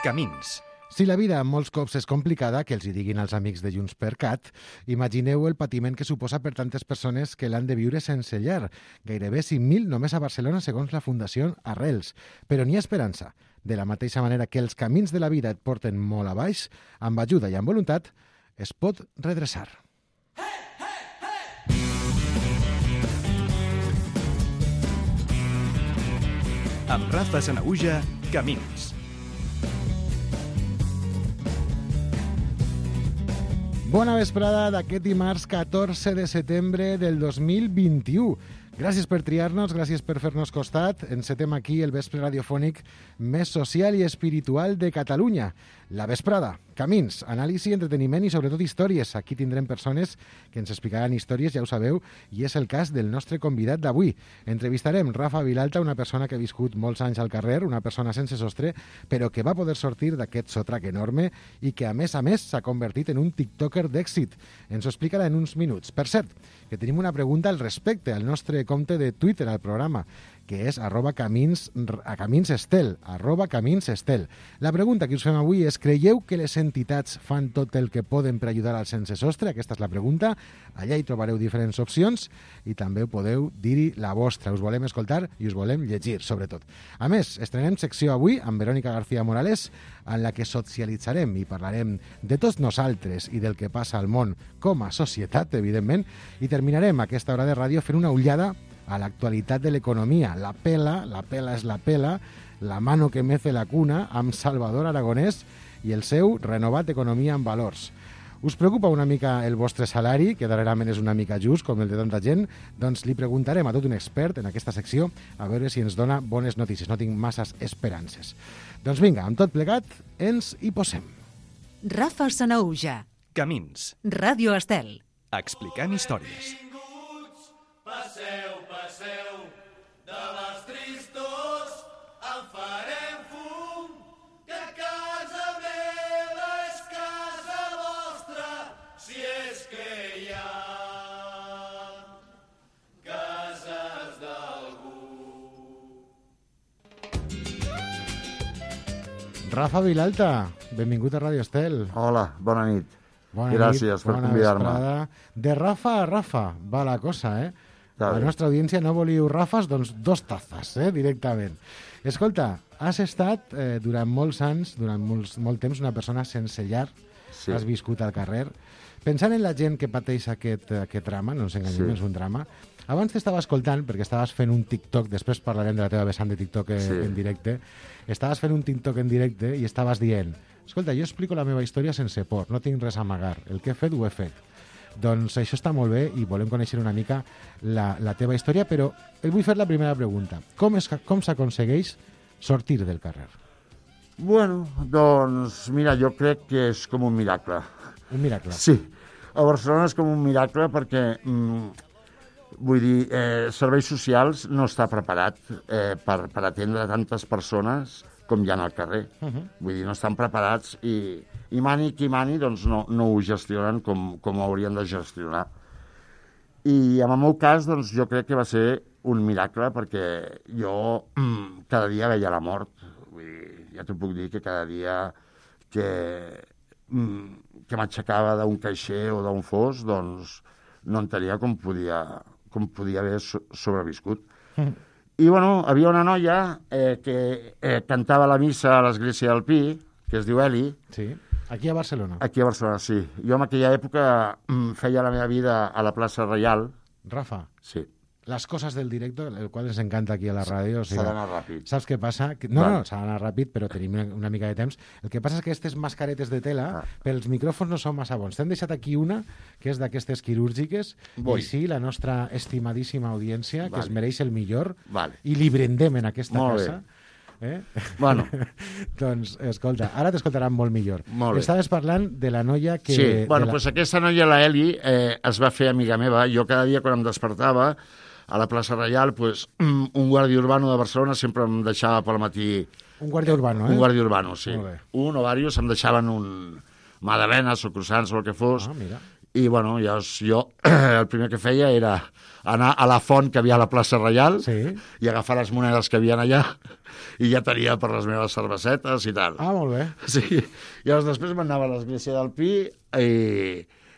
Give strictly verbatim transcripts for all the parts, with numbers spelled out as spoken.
Camins. Si la vida molts cops és complicada, que els hi diguin els amics de JxCat, imagineu el patiment que suposa per tantes persones que l'han de viure sense llar. Gairebé cinc mil només a Barcelona, segons la Fundació Arrels. Però n'hi ha esperança. De la mateixa manera que els camins de la vida et porten molt a baix, amb ajuda i amb voluntat, es pot redreçar. Amb Rafa Sanahuja, Camins. Bona vesprada d'aquest dimarts catorze de setembre del dos mil vint-i-u. Gràcies per triar-nos, gràcies per fer-nos costat. Encetem aquí el vespre radiofònic més social i espiritual de Catalunya. La vesprada, camins, anàlisi, entreteniment i sobretot històries. Aquí tindrem persones que ens explicaran històries, ja ho sabeu, i és el cas del nostre convidat d'avui. Entrevistarem Rafa Vilalta, una persona que ha viscut molts anys al carrer, una persona sense sostre, però que va poder sortir d'aquest sotrac enorme i que, a més a més, s'ha convertit en un tiktoker d'èxit. Ens ho explicarà en uns minuts. Per cert, que tenim una pregunta al respecte al nostre compte de Twitter al programa, que és arroba camins, a camins estel, arroba camins estel. La pregunta que us fem avui és: creieu que les entitats fan tot el que poden per ajudar als sense sostre? Aquesta és la pregunta. Allà hi trobareu diferents opcions i també podeu dir-hi la vostra. Us volem escoltar i us volem llegir, sobretot. A més, estrenem secció avui amb Verònica García Morales, en la que socialitzarem i parlarem de tots nosaltres i del que passa al món com a societat, evidentment, i terminarem aquesta hora de ràdio fent una ullada a l'actualitat de l'economia. La pela, la pela és la pela, la mano que mece la cuna, amb Salvador Aragonès i el seu renovat Economia en Valors. Us preocupa una mica el vostre salari, que darrerament és una mica just, com el de tanta gent? Doncs li preguntarem a tot un expert en aquesta secció a veure si ens dona bones notícies. No tinc masses esperances. Doncs vinga, amb tot plegat, ens hi posem. Rafa Sanahuja. Camins. Ràdio Estel. Explicant històries. Passeu, passeu, de les tristors en farem fum, que casa meva és casa vostra, si és que hi ha cases d'algú. Rafa Vilalta, benvingut a Ràdio Estel. Hola, bona nit. Bona Gràcies nit, per bona convidar-me. vesprada. De Rafa a Rafa va la cosa, eh? Està La bé. nostra audiència no voliu Rafas, doncs dos tazes, eh, directament. Escolta, has estat eh, durant molts anys, durant molts, molt temps, una persona sense llar, Sí. has viscut al carrer. Pensant en la gent que pateix aquest, aquest drama, no ens enganyem, Sí. és un drama, abans t'estava escoltant, perquè estaves fent un TikTok, després parlarem de la teva vessant de TikTok eh, Sí. en directe, estaves fent un TikTok en directe i estaves dient: escolta, jo explico la meva història sense por, no tinc res a amagar, el que he fet ho he fet. Doncs això està molt bé i volem conèixer una mica la, la teva història, però et vull fer la primera pregunta. Com, és, com s'aconsegueix sortir del carrer? Bueno, doncs, mira, jo crec que és com un miracle. Un miracle. Sí, a Barcelona és com un miracle perquè, mm, vull dir, eh, serveis socials no està preparat eh, per, per atendre tantes persones com hi ha al carrer. Uh -huh. Vull dir, no estan preparats i, i mani qui mani doncs no, no ho gestionen com, com ho haurien de gestionar. I en el meu cas, doncs, jo crec que va ser un miracle perquè jo mm, cada dia veia la mort. Vull dir, ja t'ho puc dir que cada dia que, mm, que m'aixecava d'un caixer o d'un fos, doncs no entenia com podia, com podia haver so sobreviscut. Mm. I, bueno, havia una noia eh, que eh, cantava la missa a l'església del Pi, que es diu Eli. Sí, aquí a Barcelona. Aquí a Barcelona, sí. Jo en aquella època mm, feia la meva vida a la plaça Reial. Rafa, Sí. les coses del directe, el qual ens encanta aquí a la ràdio. O sigui, S'ha d'anar ràpid. saps què passa? Que, no, Vale. no, s'ha d'anar ràpid, però tenim una, una mica de temps. El que passa és que aquestes mascaretes de tela, Ah. pels micròfons no són massa bons. T'hem deixat aquí una, que és d'aquestes quirúrgiques, Vull. i sí, la nostra estimadíssima audiència, que Vale. es mereix el millor, Vale. i li brindem en aquesta Molt bé. casa. Eh? Bueno. Doncs, escolta, ara t'escoltaran molt millor. Molt bé. Estaves parlant de la noia que... Sí, bueno, de la... doncs aquesta noia, la Eli, eh, es va fer amiga meva. Jo cada dia quan em despertava a la plaça Reial, pues, un guàrdia urbano de Barcelona sempre em deixava pel matí... Un guàrdia urbano, eh? Un guàrdia urbano, sí. Molt bé. Un o diversos em deixaven un magdalenes o croissants o el que fos. Ah, mira. I, bueno, llavors jo el primer que feia era anar a la font que havia a la plaça Reial Sí. i agafar les monedes que havien allà i ja tenia per les meves cervesetes i tal. Ah, molt bé. Sí. Llavors després m'anava a l'església del Pi i,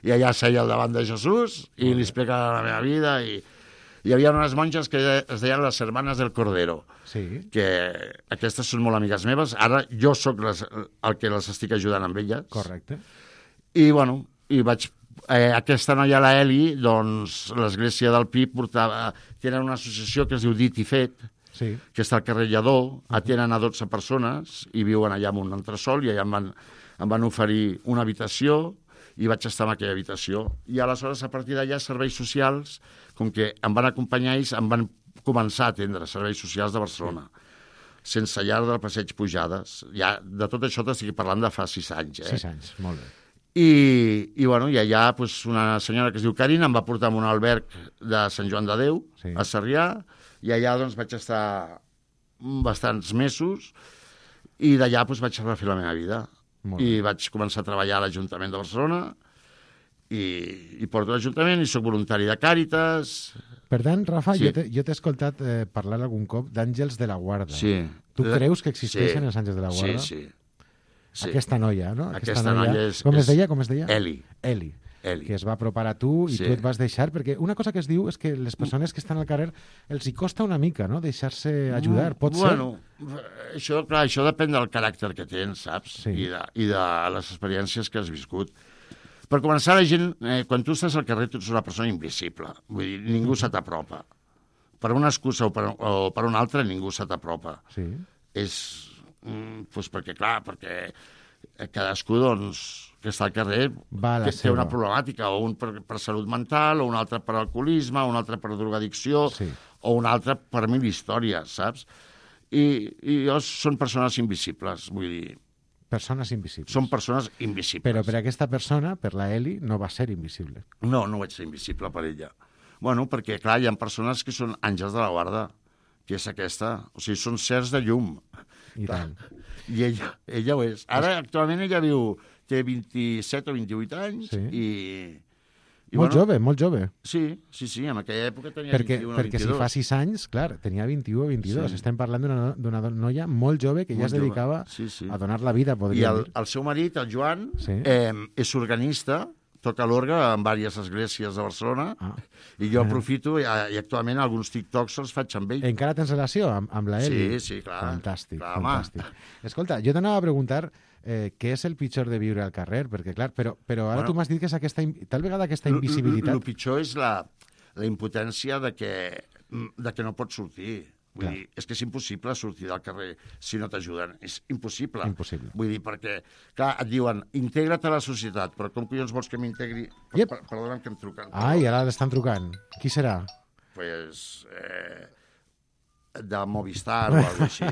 i allà seia al davant de Jesús i li explicava la meva vida i hi havia unes monges que es deien les Hermanes del Cordero, Sí. que aquestes són molt amigues meves. Ara jo sóc les, el que les estic ajudant amb elles. Correcte. I, bueno, i vaig... Eh, aquesta noia, la Eli, doncs, l'església del Pi portava... Tenen una associació que es diu Dit i Fet, Sí. que està al carrer Lledó, atenen a dotze persones i viuen allà en un entresol i allà em van, em van oferir una habitació i vaig estar en aquella habitació. I aleshores, a partir d'allà, serveis socials, com que em van acompanyar ells, em van començar a atendre serveis socials de Barcelona, sí. sense llar del Passeig Pujades. Ja, de tot això t'estic parlant de fa sis anys. Eh? Sis anys, molt bé. I, i, bueno, i allà pues, una senyora que es diu Carina em va portar a un alberg de Sant Joan de Déu, Sí. a Sarrià, i allà doncs, vaig estar bastants mesos i d'allà doncs, vaig refer la meva vida. Molt I bé. vaig començar a treballar a l'Ajuntament de Barcelona i, i porto l'Ajuntament i sóc voluntari de Càritas. Per tant, Rafa, Sí. jo t'he jo t'he escoltat eh, parlar algun cop d'àngels de la guarda. Sí. Tu creus que existeixen Sí. els àngels de la guarda? Sí, sí. sí. Aquesta noia, no? Aquesta noia és- Com es és deia? Com es deia? Eli. Eli. Eli. Que es va apropar a tu i Sí. tu et vas deixar, perquè una cosa que es diu és que les persones que estan al carrer els hi costa una mica, no?, deixar-se ajudar. Pot bueno, això, clar, això depèn del caràcter que tens, saps? Sí. I, de, I de les experiències que has viscut. Per començar, la gent, eh, quan tu estàs al carrer, tu ets una persona invisible. Vull dir, ningú se t'apropa. Per una excusa o per, o per una altra, ningú se t'apropa. ser... Sí. És, mm, doncs perquè, clar, perquè cadascú, doncs, que està al carrer, Va a la que té una seva. problemàtica, o un per, per salut mental, o un altre per alcoholisme, o un altre per drogadicció, Sí. o un altre per mil històries, saps? I, i jo són persones invisibles, vull dir, Persones invisibles. són persones invisibles. Però per aquesta persona, per la Eli, no va ser invisible. No, no vaig ser invisible per ella. Bueno, perquè, clar, hi ha persones que són àngels de la guarda, que és aquesta. O sigui, són sers de llum. I tant. I ella, ella ho és. Ara, actualment, ella viu, té vint-i-set o vint-i-vuit anys Sí. i... i Molt jove, molt jove. Sí, sí, sí, en aquella època tenia Perquè, vint-i-un o perquè si vint-i-dos. fa sis anys, clar, tenia vint-i-u o vint-i-dos. Sí. Estem parlant d'una d'una noia molt jove que ja Molt es jove. dedicava Sí, sí. a donar la vida, I podríem el, dir. el seu marit, el Joan, Sí. eh, és organista, toca l'orgue en diverses esglésies de Barcelona, Ah. i jo aprofito, i, i actualment alguns TikToks els faig amb ell. Encara tens relació amb, amb la Eli? Sí, sí, clar. Fantàstic, Clar, home. fantàstic. Escolta, jo t'anava a preguntar eh, què és el pitjor de viure al carrer, perquè, clar, però, però ara Bueno, tu m'has dit que és aquesta, in- tal vegada aquesta El invisibilitat... pitjor és la, la impotència de que, de que no pots sortir. Vull Clar. dir, és que és impossible sortir del carrer si no t'ajuden. És impossible. Impossible. Vull dir, perquè, clar, et diuen, integra't a la societat, però com collons vols que m'integri? Yep. Per, perdona'm que em truquen. Ai, ara l'estan trucant. Qui serà? Pues, eh, de Movistar o alguna cosa així.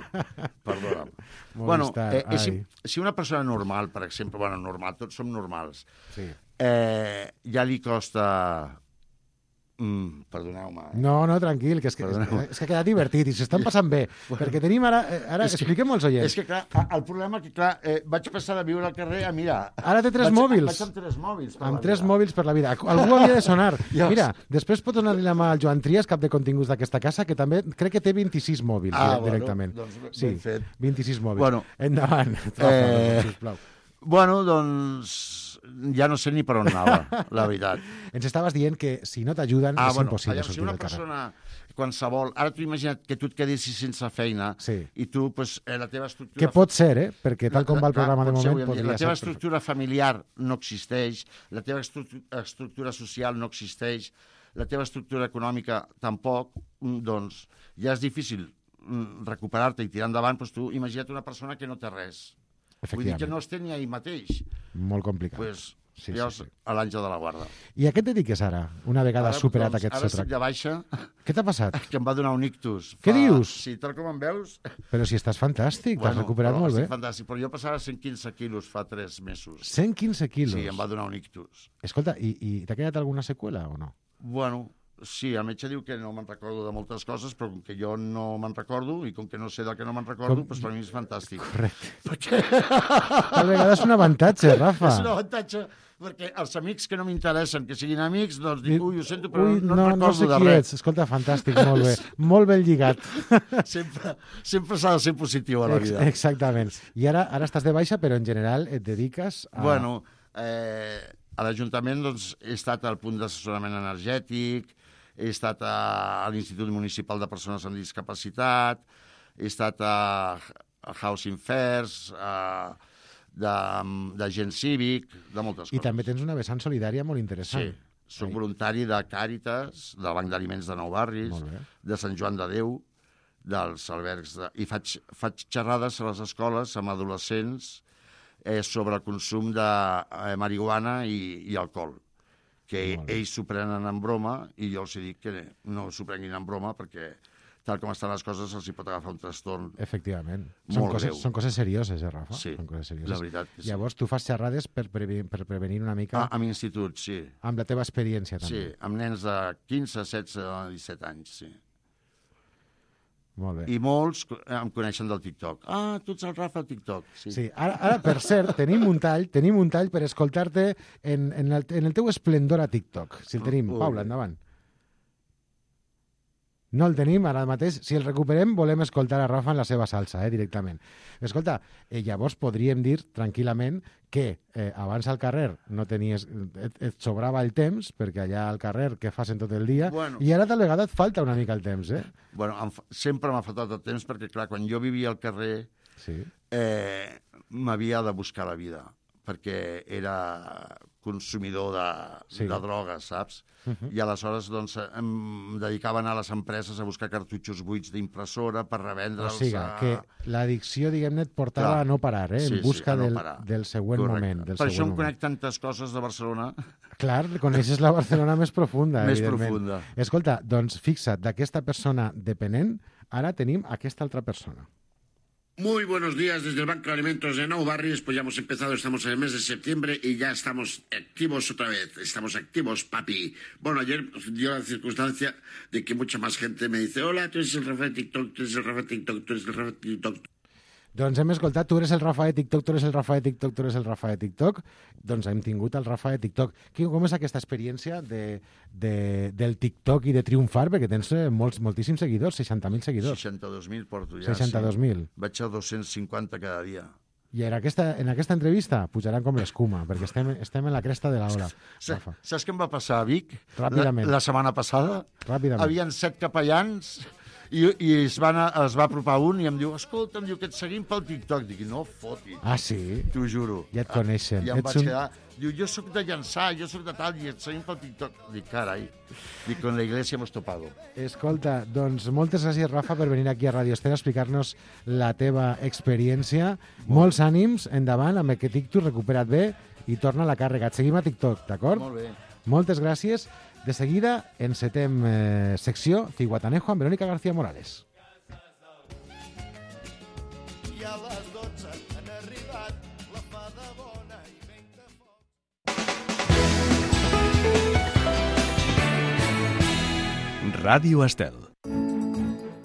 Perdona'm. Movistar, bueno, eh, és, ai. si una persona normal, per exemple, bueno, normal, tots som normals, Sí. eh, ja li costa... Mm, perdoneu-me. Eh? No, no, tranquil, que és que, Perdoneu. és que ha quedat divertit i s'estan passant bé, perquè tenim ara... eh, Ara, És que- expliquem als oients. És que, clar, a- el problema que, clar, eh, vaig passar de viure al carrer a mirar... Ara té tres vaig, mòbils. Vaig amb tres mòbils. per Amb la tres vida. mòbils per la vida. Algú havia de sonar. Ja. Mira, després pot donar-li la mà al Joan Trias, cap de continguts d'aquesta casa, que també crec que té vint-i-sis mòbils Ah, dire- bueno, directament. doncs ben sí, fet. vint-i-sis mòbils. Bueno, Endavant, Rafa, eh, sisplau. Bueno, doncs ja no sé ni per on anava, la veritat. Ens estaves dient que si no t'ajuden és impossible aviam, si sortir una del carrer. persona qualsevol... Ara tu imagina't que tu et quedessis sense feina Sí. i tu, pues, eh, la teva estructura... Que pot ser, eh? Perquè tal com va el Clar, programa de pot ser, moment, avui en dia. podria La teva ser... estructura familiar no existeix, la teva estructu- estructura social no existeix, la teva estructura econòmica tampoc, mm, doncs ja és difícil mm, recuperar-te i tirar endavant, doncs tu imagina't una persona que no té res. Vull dir que Efectivament. no es té ni a ell mateix. Molt complicat. Pues, Sí, llavors, sí, sí. a l'àngel de la guarda. I a què et dediques ara, una vegada Ara, superat doncs, aquest Ara estic sotrac? de baixa, Què t'ha passat? que em va donar un ictus. Què dius? Sí, tal com em veus... Però si estàs fantàstic, t'has recuperat però molt bé. estic fantàstic, però jo passava cent quinze quilos fa tres mesos. cent quinze quilos. Sí, em va donar un ictus. Escolta, i, i t'ha quedat alguna seqüela o no? Bueno, Sí, el metge diu que no me'n recordo de moltes coses, però com que jo no me'n recordo, i com que no sé del que no me'n recordo, com... doncs per mi és fantàstic. Correcte. Perquè... Tal vegada és un avantatge, Rafa. És un avantatge, perquè els amics que no m'interessen, que siguin amics, doncs dic, ui, ho sento, però Ui, no, no, no no sé recordo de qui res. ets. Escolta, fantàstic, molt bé. Molt ben lligat. Sempre, sempre s'ha de ser positiu a la vida. Ex Exactament. I ara ara estàs de baixa, però en general et dediques a... Bueno, eh, a l'Ajuntament doncs, he estat al punt d'assessorament energètic, he estat a, a l'Institut Municipal de Persones amb Discapacitat, he estat a, a Housing Fairs, a, de, de gent cívic, de moltes coses. I també tens una vessant solidària molt interessant. Sí, soc voluntari de Càritas, del Banc d'Aliments de Nou Barris, de Sant Joan de Déu, dels albergs, de... i faig, faig xerrades a les escoles amb adolescents eh, sobre el consum de eh, marihuana i, i alcohol, que ells s'ho prenen en broma i jo els dic que no s'ho prenguin en broma perquè tal com estan les coses els hi pot agafar un trastorn. Efectivament. Són coses, són coses serioses, eh, Rafa? Sí, són coses serioses. la veritat que sí. Llavors, tu fas xerrades per, prevenir, per prevenir una mica... Ah, amb institut, sí. Amb la teva experiència, també. Sí, amb nens de quinze, setze, disset anys, sí. Molt bé. I molts em coneixen del TikTok. Ah, tu ets el Rafa TikTok. Sí, sí. Ara, ara, per cert, tenim un tall, tenim un tall per escoltar-te en, en, el, en el teu esplendor a TikTok. Si el tenim. Uh, Paula, endavant. No el tenim ara mateix. Si el recuperem, volem escoltar a Rafa en la seva salsa, eh, directament. Escolta, eh, llavors podríem dir tranquil·lament que eh, abans al carrer no tenies, et, et sobrava el temps, perquè allà al carrer què fas en tot el dia, bueno, i ara tal vegada et falta una mica el temps, eh? Bueno, em, sempre m'ha faltat el temps perquè, clar, quan jo vivia al carrer sí. eh, m'havia de buscar la vida, perquè era consumidor de, sí. de drogues, saps? Uh-huh. I aleshores doncs, em dedicava a anar a les empreses a buscar cartutxos buits d'impressora per revendre'ls. O sigui, a... que l'addicció, diguem-ne, et portava Clar. a no parar, eh? Sí, en busca sí, no del, parar. del següent Correcte. moment. Del per següent això em moment. conec tantes coses de Barcelona. Clar, coneixes la Barcelona més profunda, més evidentment. profunda. Escolta, doncs fixa't, d'aquesta persona dependent, ara tenim aquesta altra persona. Muy buenos días desde el Banco de Alimentos de Nou Barris, pues ya hemos empezado, estamos en el mes de septiembre y ya estamos activos otra vez, estamos activos, papi. Bueno, ayer dio la circunstancia de que mucha más gente me dice, hola, tú eres el Rafa de TikTok, tú eres el Rafa de TikTok, tú eres el Rafa de TikTok. Doncs hem escoltat, tu eres el Rafa de TikTok, tu eres el Rafa de TikTok, tu eres el Rafa de TikTok, doncs hem tingut el Rafa de TikTok. Com és aquesta experiència de, de, del TikTok i de triomfar? Perquè tens molts, moltíssims seguidors, seixanta mil seguidors. seixanta-dos mil porto ja, seixanta-dos mil. Sí. Vaig a dos-cents cinquanta cada dia. I en aquesta, en aquesta entrevista pujaran com l'escuma, perquè estem, estem en la cresta de l'ola. Saps què em va passar a Vic? Ràpidament. La, la setmana passada? Ràpidament. Havien set capellans... I, i es, van a, es va apropar un i em diu, escolta, em diu que et seguim pel TikTok. Dic, no fotis. Ah, sí? T'ho juro. Ja et coneixen. I em Ets vaig un... quedar... Diu, jo sóc de Llançà, jo sóc de tal, i et seguim pel TikTok. Dic, carai. Dic, con la iglesia hemos topado. Escolta, doncs moltes gràcies, Rafa, per venir aquí a Radio Esther a explicar-nos la teva experiència. Molt. Molts ànims, endavant, amb aquest TikTok, recupera't bé i torna a la càrrega. Et seguim a TikTok, d'acord? Molt bé. Moltes gràcies. De seguida, encetem eh, secció Ciguatanejo amb Verónica García Morales. I a les dotze han arribat la fada bona i vent de foc. Ràdio Estel.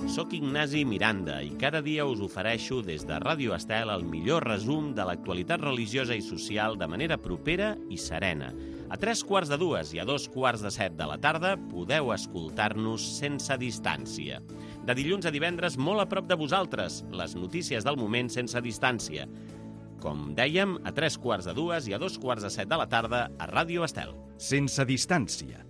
Soc Ignasi Miranda i cada dia us ofereixo des de Ràdio Estel el millor resum de l'actualitat religiosa i social de manera propera i serena. A tres quarts de dues i a dos quarts de set de la tarda podeu escoltar-nos sense distància. De dilluns a divendres, molt a prop de vosaltres, les notícies del moment sense distància. Com dèiem, a tres quarts de dues i a dos quarts de set de la tarda a Ràdio Estel. Sense distància.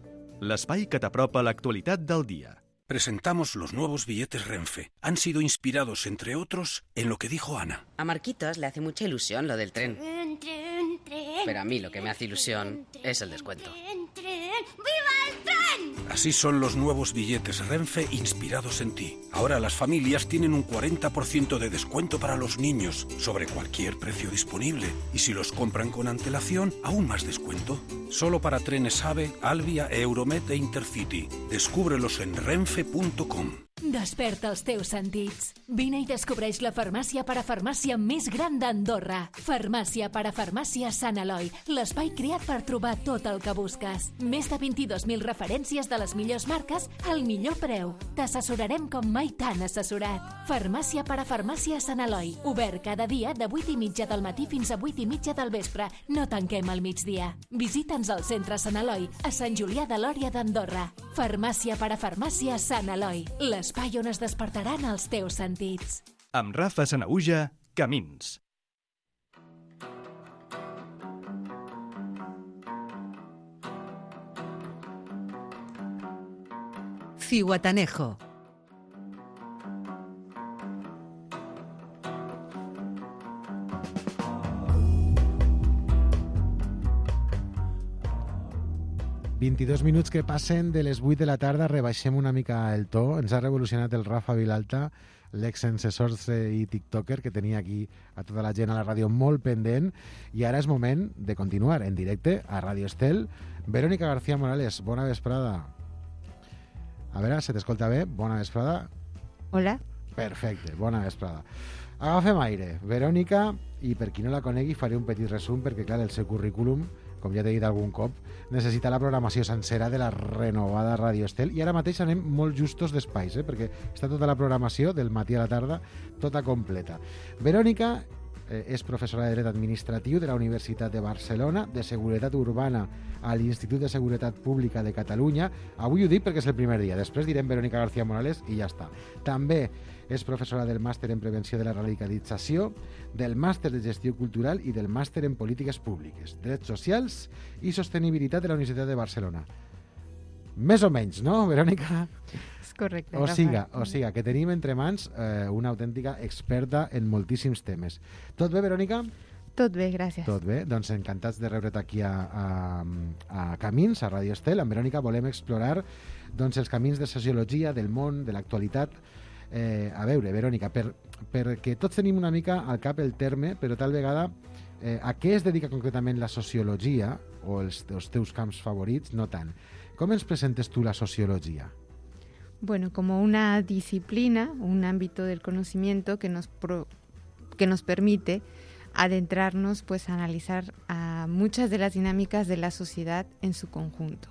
L'espai que t'apropa l'actualitat del dia. Presentamos los nuevos billetes Renfe. Han sido inspirados, entre otros, en lo que dijo Ana. A Marquitos le hace mucha ilusión lo del tren. Tren, tren, tren. Pero a mí lo que me hace ilusión tren, es el descuento. Tren, tren. ¡Viva el tren! Así son los nuevos billetes Renfe inspirados en ti. Ahora las familias tienen un cuarenta por ciento de descuento para los niños sobre cualquier precio disponible. Y si los compran con antelación, aún más descuento. Solo para trenes AVE, Alvia, Euromed e Intercity. Descúbrelos en renfe punto com. Desperta els teus sentits. Vine i descobreix la farmàcia parafarmàcia més gran d'Andorra. Farmàcia parafarmàcia Sant Eloi, l'espai creat per trobar tot el que busques. Més de vint-i-dos mil referències de les millors marques al millor preu. T'assessorarem com mai t'han assessorat. Farmàcia parafarmàcia Sant Eloi, obert cada dia de vuit i mitja del matí fins a vuit i mitja del vespre. No tanquem al migdia. Visita'ns al centre Sant Eloi, a Sant Julià de Lòria d'Andorra. Farmàcia parafarmàcia Sant Eloi, l'espai on es despertaran els teus sentits. Amb Rafa Sanahuja, Camins. Zihuatanejo. vint-i-dos minuts que passen de les vuit de la tarda, rebaixem una mica el to. Ens ha revolucionat el Rafa Vilalta, l'ex sense sorse i tiktoker, que tenia aquí a tota la gent a la ràdio molt pendent, i ara és moment de continuar en directe a Ràdio Estel. Verónica García Morales, bona vesprada. A veure, se t'escolta bé? Bona vesprada. Hola. Perfecte, bona vesprada. Agafem aire. Verónica, i per qui no la conegui faré un petit resum, perquè clar, el seu currículum, com ja t'he dit algun cop, necessita la programació sencera de la renovada Ràdio Estel, i ara mateix anem molt justos d'espais, eh? Perquè està tota la programació del matí a la tarda, tota completa. Verónica eh, és professora de Dret Administratiu de la Universitat de Barcelona, de Seguretat Urbana a l'Institut de Seguretat Pública de Catalunya. Avui ho dic perquè és el primer dia, després direm Verónica García Morales i ja està. També és professora del màster en Prevenció de la Radicalització, del màster de Gestió Cultural i del màster en Polítiques Públiques, Drets Socials i Sostenibilitat de la Universitat de Barcelona. Més o menys, no, Verónica? És correcte. O siga, o siga, que tenim entre mans eh, una autèntica experta en moltíssims temes. Tot bé, Verónica? Tot bé, gràcies. Tot bé, doncs encantats de rebre't aquí a, a, a Camins, a Ràdio Estel. Amb Verónica volem explorar doncs, els camins de sociologia, del món, de l'actualitat. Eh, a veure, Verónica, per, perquè tots tenim una mica al cap el terme, però tal vegada eh, a què es dedica concretament la sociologia, o els, els teus camps favorits, no tant. Com ens presentes tu la sociología? Bueno, como una disciplina, un ámbito del conocimiento que nos, pro, que nos permite adentrarnos pues, a analizar a muchas de las dinámicas de la sociedad en su conjunto.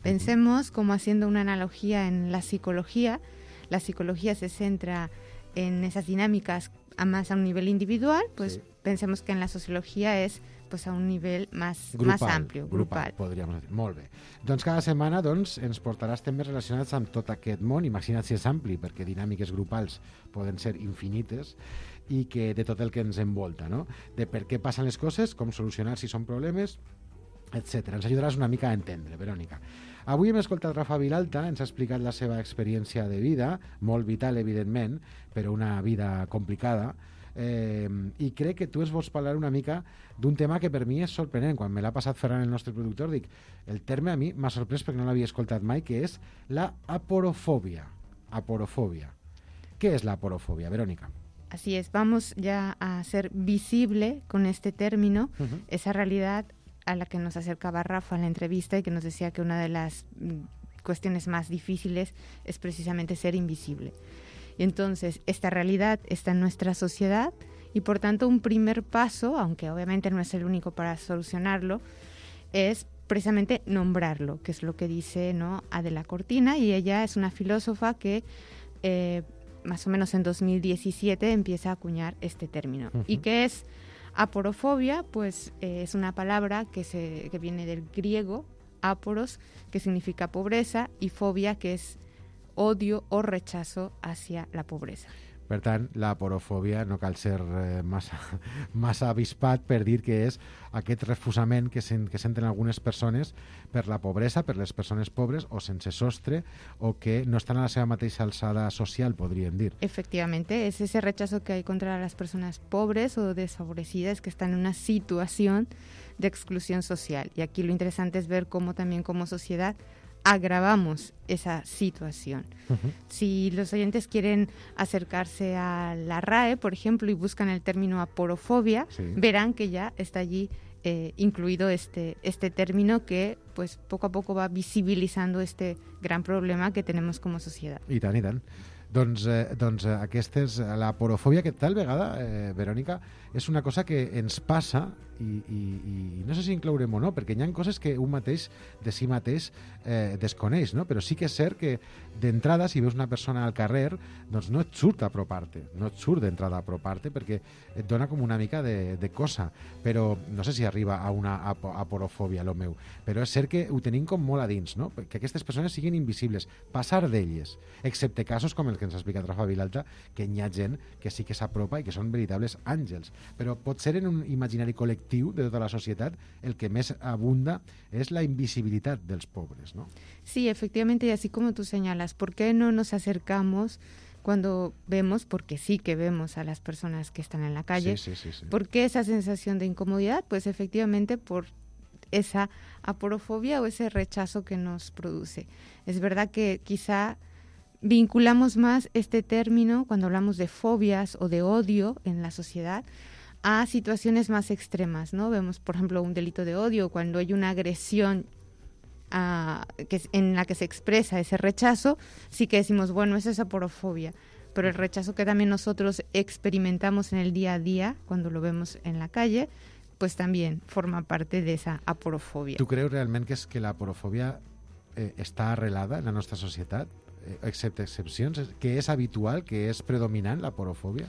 Pensemos como haciendo una analogía en la psicología. La psicología se centra en esas dinámicas a más a un nivel individual, pues sí. Pensemos que en la sociología es pues, a un nivell més, grupal, més ampli, grupal. grupal. Podríem dir. Molt bé. Doncs cada setmana doncs, ens portaràs temes relacionats amb tot aquest món. Imagina't si és ampli, perquè dinàmiques grupals poden ser infinites, i que de tot el que ens envolta, no? De per què passen les coses, com solucionar si són problemes, etcètera. Ens ajudaràs una mica a entendre, Verónica. Avui hem escoltat Rafa Vilalta, ens ha explicat la seva experiència de vida, molt vital, evidentment, però una vida complicada, eh, i crec que tu ens vols parlar una mica d'un tema que per mi és sorprenent. Quan me l'ha passat Ferran, el nostre productor, dic, el terme a mi m'ha sorprès perquè no l'havia escoltat mai, que és la aporofòbia. Aporofòbia. ¿Qué es la aporofobia, Verónica? Así es, vamos ya a hacer visible con este término uh-huh. esa realidad a la que nos acercaba Rafa en la entrevista y que nos decía que una de las cuestiones más difíciles es precisamente ser invisible. Y entonces esta realidad está en nuestra sociedad y por tanto un primer paso, aunque obviamente no es el único para solucionarlo, es precisamente nombrarlo, que es lo que dice, ¿no?, Adela Cortina, y ella es una filósofa que eh, más o menos en dos mil diecisiete empieza a acuñar este término. Uh-huh. ¿Y qué es aporofobia? Pues eh, es una palabra que, se, que viene del griego, aporos, que significa pobreza, y fobia, que es odio o rechazo hacia la pobreza. Per tant, la aporofòbia no cal ser eh, massa, massa avispat per dir que és aquest refusament que, sen, que senten algunes persones per la pobresa, per les persones pobres o sense sostre, o que no estan a la seva mateixa alçada social, podríem dir. Efectivamente, es ese rechazo que hay contra las personas pobres o desfavorecidas que están en una situación de exclusión social. Y aquí lo interesante es ver cómo también como sociedad agravamos esa situación. Uh-huh. Si los oyentes quieren acercarse a la R A E, por ejemplo, y buscan el término aporofobia, sí. verán que ya está allí eh, incluido este, este término que pues poco a poco va visibilizando este gran problema que tenemos como sociedad. I tant, i tant. Doncs, eh, doncs eh, aquesta és la porofòbia que tal vegada, eh, Verònica, és una cosa que ens passa i, i, i no sé si inclourem o no, perquè hi ha coses que un mateix de si mateix eh, desconeix, no? Però sí que és cert que d'entrada, si veus una persona al carrer, doncs no et surt a apropar-te, no et surt d'entrada a apropar-te perquè et dona com una mica de, de cosa, però no sé si arriba a una apo, aporofòbia, lo meu, però és cert que ho tenim com molt a dins, no? Que aquestes persones siguin invisibles, passar d'elles, excepte casos com el que ens ha explicat Rafa Vilalta, que hi ha gent que sí que s'apropa i que són veritables àngels, però pot ser en un imaginari col·lectiu de tota la societat el que més abunda és la invisibilitat dels pobres, ¿no? Sí, efectivamente, y así como tú señalas, ¿por qué no nos acercamos cuando vemos, porque sí que vemos a las personas que están en la calle? Sí, sí, sí, sí. ¿Por qué esa sensación de incomodidad? Pues efectivamente por esa aporofobia o ese rechazo que nos produce. Es verdad que quizá vinculamos más este término cuando hablamos de fobias o de odio en la sociedad a situaciones más extremas, ¿no? Vemos, por ejemplo, un delito de odio cuando hay una agresión a, que, en la que se expresa ese rechazo, sí que decimos, bueno, eso es aporofobia, pero el rechazo que también nosotros experimentamos en el día a día, cuando lo vemos en la calle, pues también forma parte de esa aporofobia. Tu creus realment que és que la aporofòbia eh, està arrelada en la nostra societat? Eh, excepte excepcions, que és habitual, que és predominant la aporofòbia?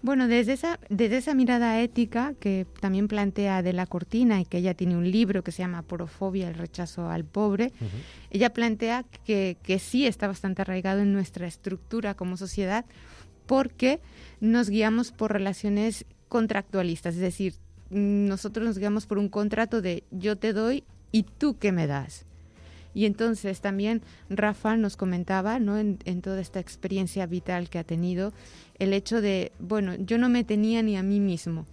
Bueno, desde esa, desde esa mirada ética que también plantea Adela Cortina y que ella tiene un libro que se llama Aporofobia, el rechazo al pobre, uh-huh. ella plantea que, que sí está bastante arraigado en nuestra estructura como sociedad porque nos guiamos por relaciones contractualistas, es decir, nosotros nos guiamos por un contrato de yo te doy y tú qué me das. Y entonces también Rafa nos comentaba, ¿no? en, en toda esta experiencia vital que ha tenido, el hecho de, bueno, yo no me tenía ni a mí mismo.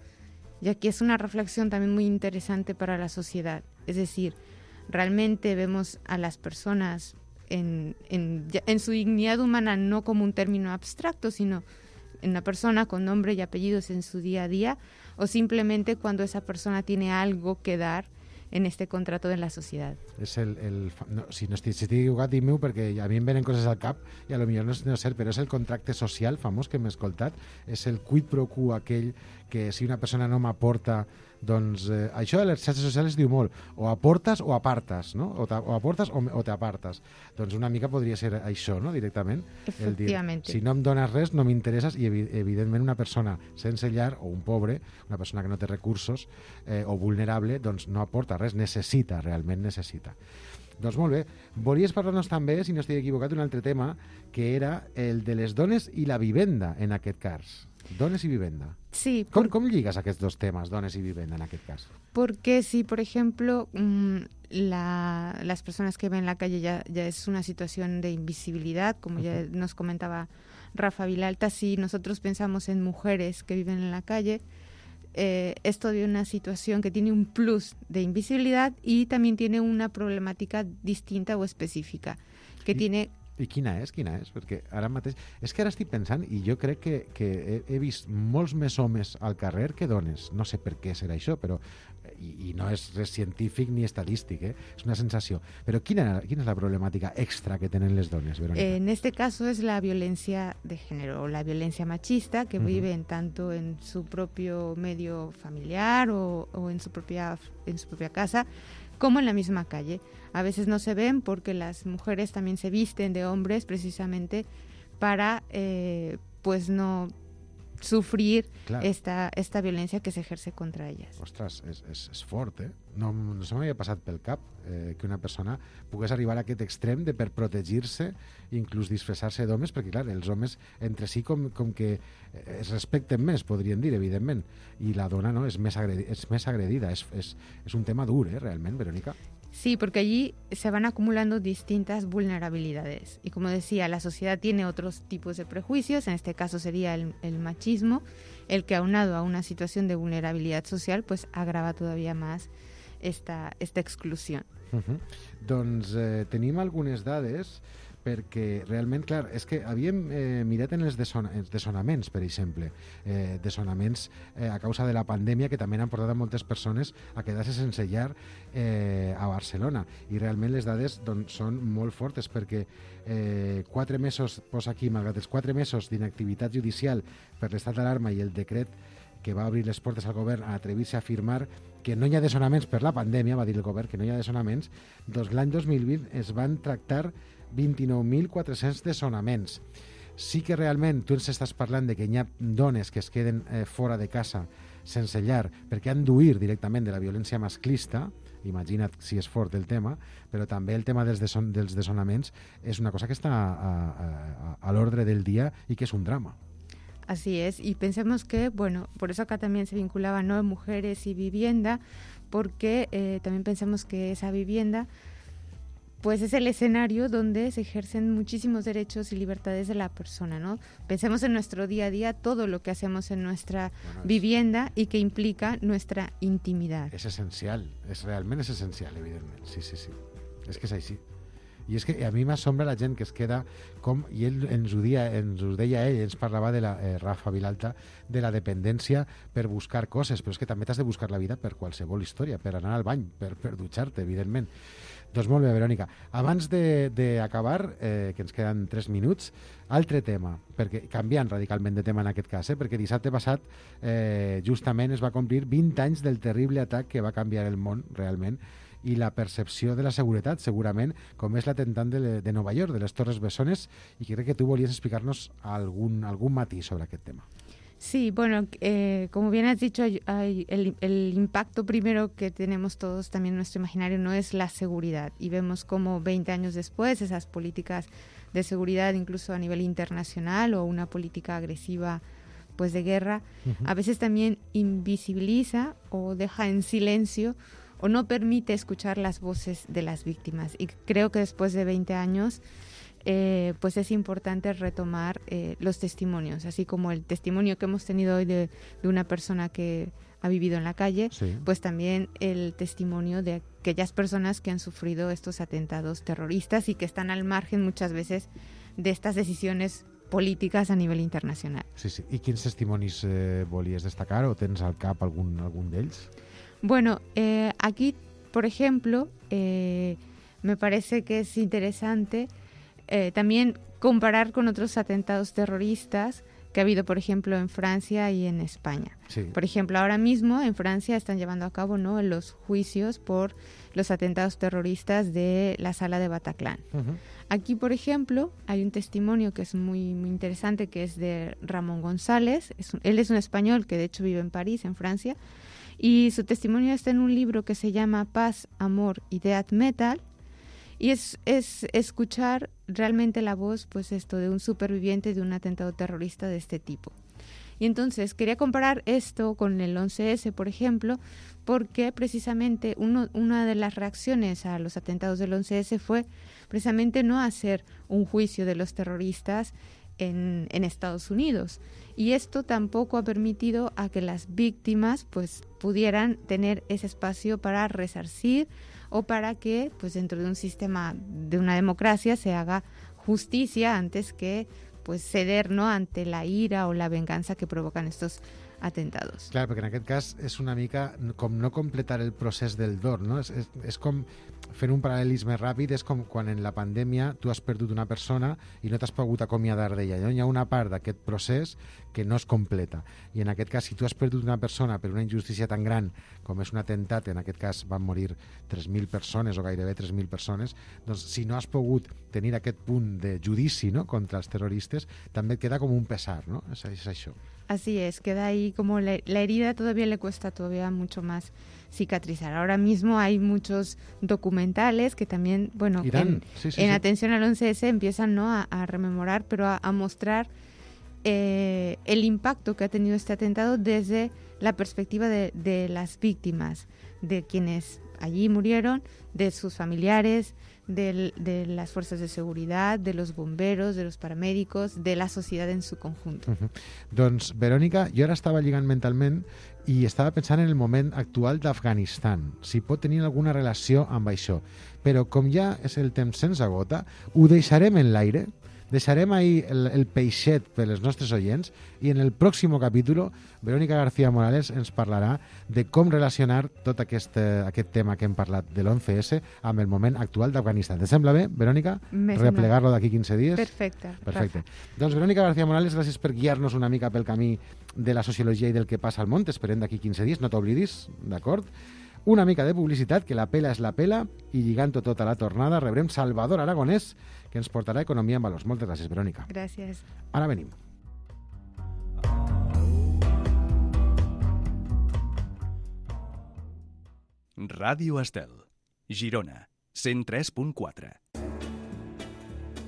Y aquí es una reflexión también muy interesante para la sociedad. Es decir, realmente vemos a las personas en, en, en su dignidad humana no como un término abstracto, sino en una persona con nombre y apellidos en su día a día, o simplemente cuando esa persona tiene algo que dar en este contrato de la societat. És el, el, no, si no estic, si estic equivocat, dic-m'ho, perquè a mi em venen coses al cap i a lo millor no és no cert, però és el contracte social famós que hem escoltat, és el quid pro quo aquell que si una persona no m'aporta, doncs eh, això de les xarxes socials es diu molt, o aportes o apartes, no? O, o aportes o, o t'apartes. Doncs una mica podria ser això, no? Directament. El dir, si no em dones res, no m'interesses, i evi evidentment una persona sense llar, o un pobre, una persona que no té recursos, eh, o vulnerable, doncs no aporta res, necessita, realment necessita. Doncs molt bé, volies parlar-nos també, si no estic equivocat, un altre tema, que era el de les dones i la vivenda, en aquest cas. Dones y vivienda. Sí. ¿Cómo, por... ¿Cómo ligas a aquests dos temas, dones y vivienda, en aquest cas? Porque si, por ejemplo, la, las personas que ven en la calle ya, ya es una situación de invisibilidad, como uh-huh. ya nos comentaba Rafa Vilalta, si nosotros pensamos en mujeres que viven en la calle, eh, es todavía una situación que tiene un plus de invisibilidad y también tiene una problemática distinta o específica, que ¿Y? tiene... I quina és? Quina és? Perquè ara mateix... És que ara estic pensant, i jo crec que, que he, he vist molts més homes al carrer que dones. No sé per què serà això, però... I, i no és res científic ni estadístic, eh? És una sensació. Però quina, quina és la problemàtica extra que tenen les dones, Verónica? En este caso es la violencia de género, o la violencia machista, que uh-huh. viven tanto en su propio medio familiar o, o en, su propia, en su propia casa, como en la misma calle. A veces no se ven porque las mujeres también se visten de hombres precisamente para eh, pues no sufrir esta, esta violencia que se ejerce contra ellas. Ostres, és, és, és fort, eh? No, no se m'havia passat pel cap eh, que una persona pogués arribar a aquest extrem de per protegir-se, inclús disfressar-se d'homes, perquè clar, els homes entre si com, com que es respecten més, podríem dir, evidentment, i la dona no, és, més agredi, és més agredida. És, és, és un tema dur, eh, realment, Verónica. Sí, porque allí se van acumulando distintas vulnerabilidades. Y como decía, la sociedad tiene otros tipos de prejuicios, en este caso sería el, el machismo, el que aunado a una situación de vulnerabilidad social, pues agrava todavía más esta, esta exclusión. Uh-huh. Doncs eh, tenim algunes dades perquè realment, clar, és que havíem eh, mirat en els dessona, dessonaments, per exemple, eh, dessonaments eh, a causa de la pandèmia que també han portat a moltes persones a quedar-se sense llar eh, a Barcelona, i realment les dades doncs, són molt fortes, perquè eh, quatre mesos, posa aquí, malgrat els quatre mesos d'inactivitat judicial per l'estat d'alarma i el decret que va obrir les portes al govern a atrevir-se a afirmar que no hi ha dessonaments per la pandèmia, va dir el govern que no hi ha dessonaments, doncs l'any dos mil vint es van tractar vint-i-nou mil quatre-cents dessonaments. Sí que realment tu ens estàs parlant de que hi ha dones que es queden eh, fora de casa sense llar perquè han d'huir directament de la violència masclista, imagina't si és fort el tema, però també el tema dels, deson dels dessonaments és una cosa que està a, a, a, a l'ordre del dia i que és un drama. Así es, y pensemos que, bueno, por eso acá también se vinculaba, ¿no?, mujeres y vivienda, porque eh, también pensamos que esa vivienda pues es el escenario donde se ejercen muchísimos derechos y libertades de la persona, ¿no? Pensemos en nuestro día a día, todo lo que hacemos en nuestra bueno, es, vivienda y que implica nuestra intimidad. És essencial, és realment és essencial, evidentment, sí, sí, sí, és que és així. I és que a mi m'assombra la gent que es queda com, i ell ens ho, dia, ens ho deia ell, ens parlava de la, eh, Rafa Vilalta, de la dependència per buscar coses, però és que també t'has de buscar la vida per qualsevol història, per anar al bany, per, per dutxar-te, evidentment. Doncs molt bé, Verònica. Abans d'acabar, eh, que ens queden tres minuts, altre tema, perquè canviant radicalment de tema en aquest cas, eh, perquè dissabte passat eh, justament es va complir vint anys del terrible atac que va canviar el món, realment, i la percepció de la seguretat, segurament, com és l'atemptat de, de Nova York, de les Torres Bessones, i crec que tu volies explicar-nos algun, algun matís sobre aquest tema. Sí, bueno, eh, como bien has dicho, hay, hay el, el impacto primero que tenemos todos también en nuestro imaginario no es la seguridad, y vemos como veinte años después esas políticas de seguridad, incluso a nivel internacional, o una política agresiva pues de guerra, uh-huh. a veces también invisibiliza o deja en silencio o no permite escuchar las voces de las víctimas. Y creo que después de veinte años eh, pues es importante retomar eh, los testimonios, así como el testimonio que hemos tenido hoy de, de una persona que ha vivido en la calle, sí. pues también el testimonio de aquellas personas que han sufrido estos atentados terroristas y que están al margen muchas veces de estas decisiones políticas a nivell internacional. Sí, sí. I quins testimonis eh, volies destacar o tens al cap algun, algun d'ells? Bueno, eh, aquí, por ejemplo, eh, me parece que es interesante eh, también comparar con otros atentados terroristas que ha habido, por ejemplo, en Francia y en España. Sí. Por ejemplo, ahora mismo en Francia están llevando a cabo, ¿no?, los juicios por los atentados terroristas de la sala de Bataclan. Uh-huh. Aquí, por ejemplo, hay un testimonio que es muy, muy interesante, que es de Ramón González. Es un, él es un español que de hecho vive en París, en Francia, y su testimonio está en un libro que se llama Paz, Amor y Death Metal, y es, es escuchar realmente la voz, pues esto, de un superviviente de un atentado terrorista de este tipo. Y entonces quería comparar esto con el once ese, por ejemplo, porque precisamente uno, una de las reacciones a los atentados del once ese fue precisamente no hacer un juicio de los terroristas en, en Estados Unidos. Y esto tampoco ha permitido a que las víctimas pues pudieran tener ese espacio para resarcir o para que pues dentro de un sistema de una democracia se haga justicia antes que pues ceder, ¿no?, ante la ira o la venganza que provocan estos atentados. Clar, perquè en aquest cas és una mica com no completar el procés del dol, no? És, és, és com, fent un paral·lelisme ràpid, és com quan en la pandèmia tu has perdut una persona i no t'has pogut acomiadar d'ella. Hi ha una part d'aquest procés que no es completa. I en aquest cas, si tu has perdut una persona per una injustícia tan gran com és un atemptat, en aquest cas van morir tres mil persones o gairebé tres mil persones, doncs si no has pogut tenir aquest punt de judici, no?, contra els terroristes, també et queda com un pesar, no? És, és això. Así es, queda ahí como la, la herida todavía le cuesta todavía mucho más cicatrizar. Ahora mismo hay muchos documentales que también, bueno, Irán, en, sí, sí, en sí. atención al once ese empiezan, ¿no?, a, a rememorar, pero a, a mostrar eh, el impacto que ha tenido este atentado desde la perspectiva de, de las víctimas, de quienes allí murieron, de sus familiares, de, de las fuerzas de seguridad, de los bomberos, de los paramédicos, de la sociedad en su conjunto. Uh-huh. Doncs, Verònica, jo ara estava lligant mentalment i estava pensant en el moment actual d'Afganistan, si pot tenir alguna relació amb això. Però com ja és el temps sense gota, ho deixarem en l'aire, deixarem ahí el, el peixet per als nostres oients i en el pròxim capítol Verònica García Morales ens parlarà de com relacionar tot aquest, aquest tema que hem parlat de l'once esse amb el moment actual d'Afganistan. Te sembla bé, Verònica? Replegar-lo d'aquí quinze dies? Perfecte. Perfecte. Doncs Verònica García Morales, gràcies per guiar-nos una mica pel camí de la sociologia i del que passa al món. T'esperem d'aquí quinze dies, no t'oblidis, d'acord? Una mica de publicitat, que la pela és la pela, i lligant-ho tot a la tornada rebrem Salvador Aragonès, que ens portarà Economia en Valors. Moltes gràcies, Verònica. Gràcies. Ara venim. Ràdio Estel, Girona, cent tres punt quatre.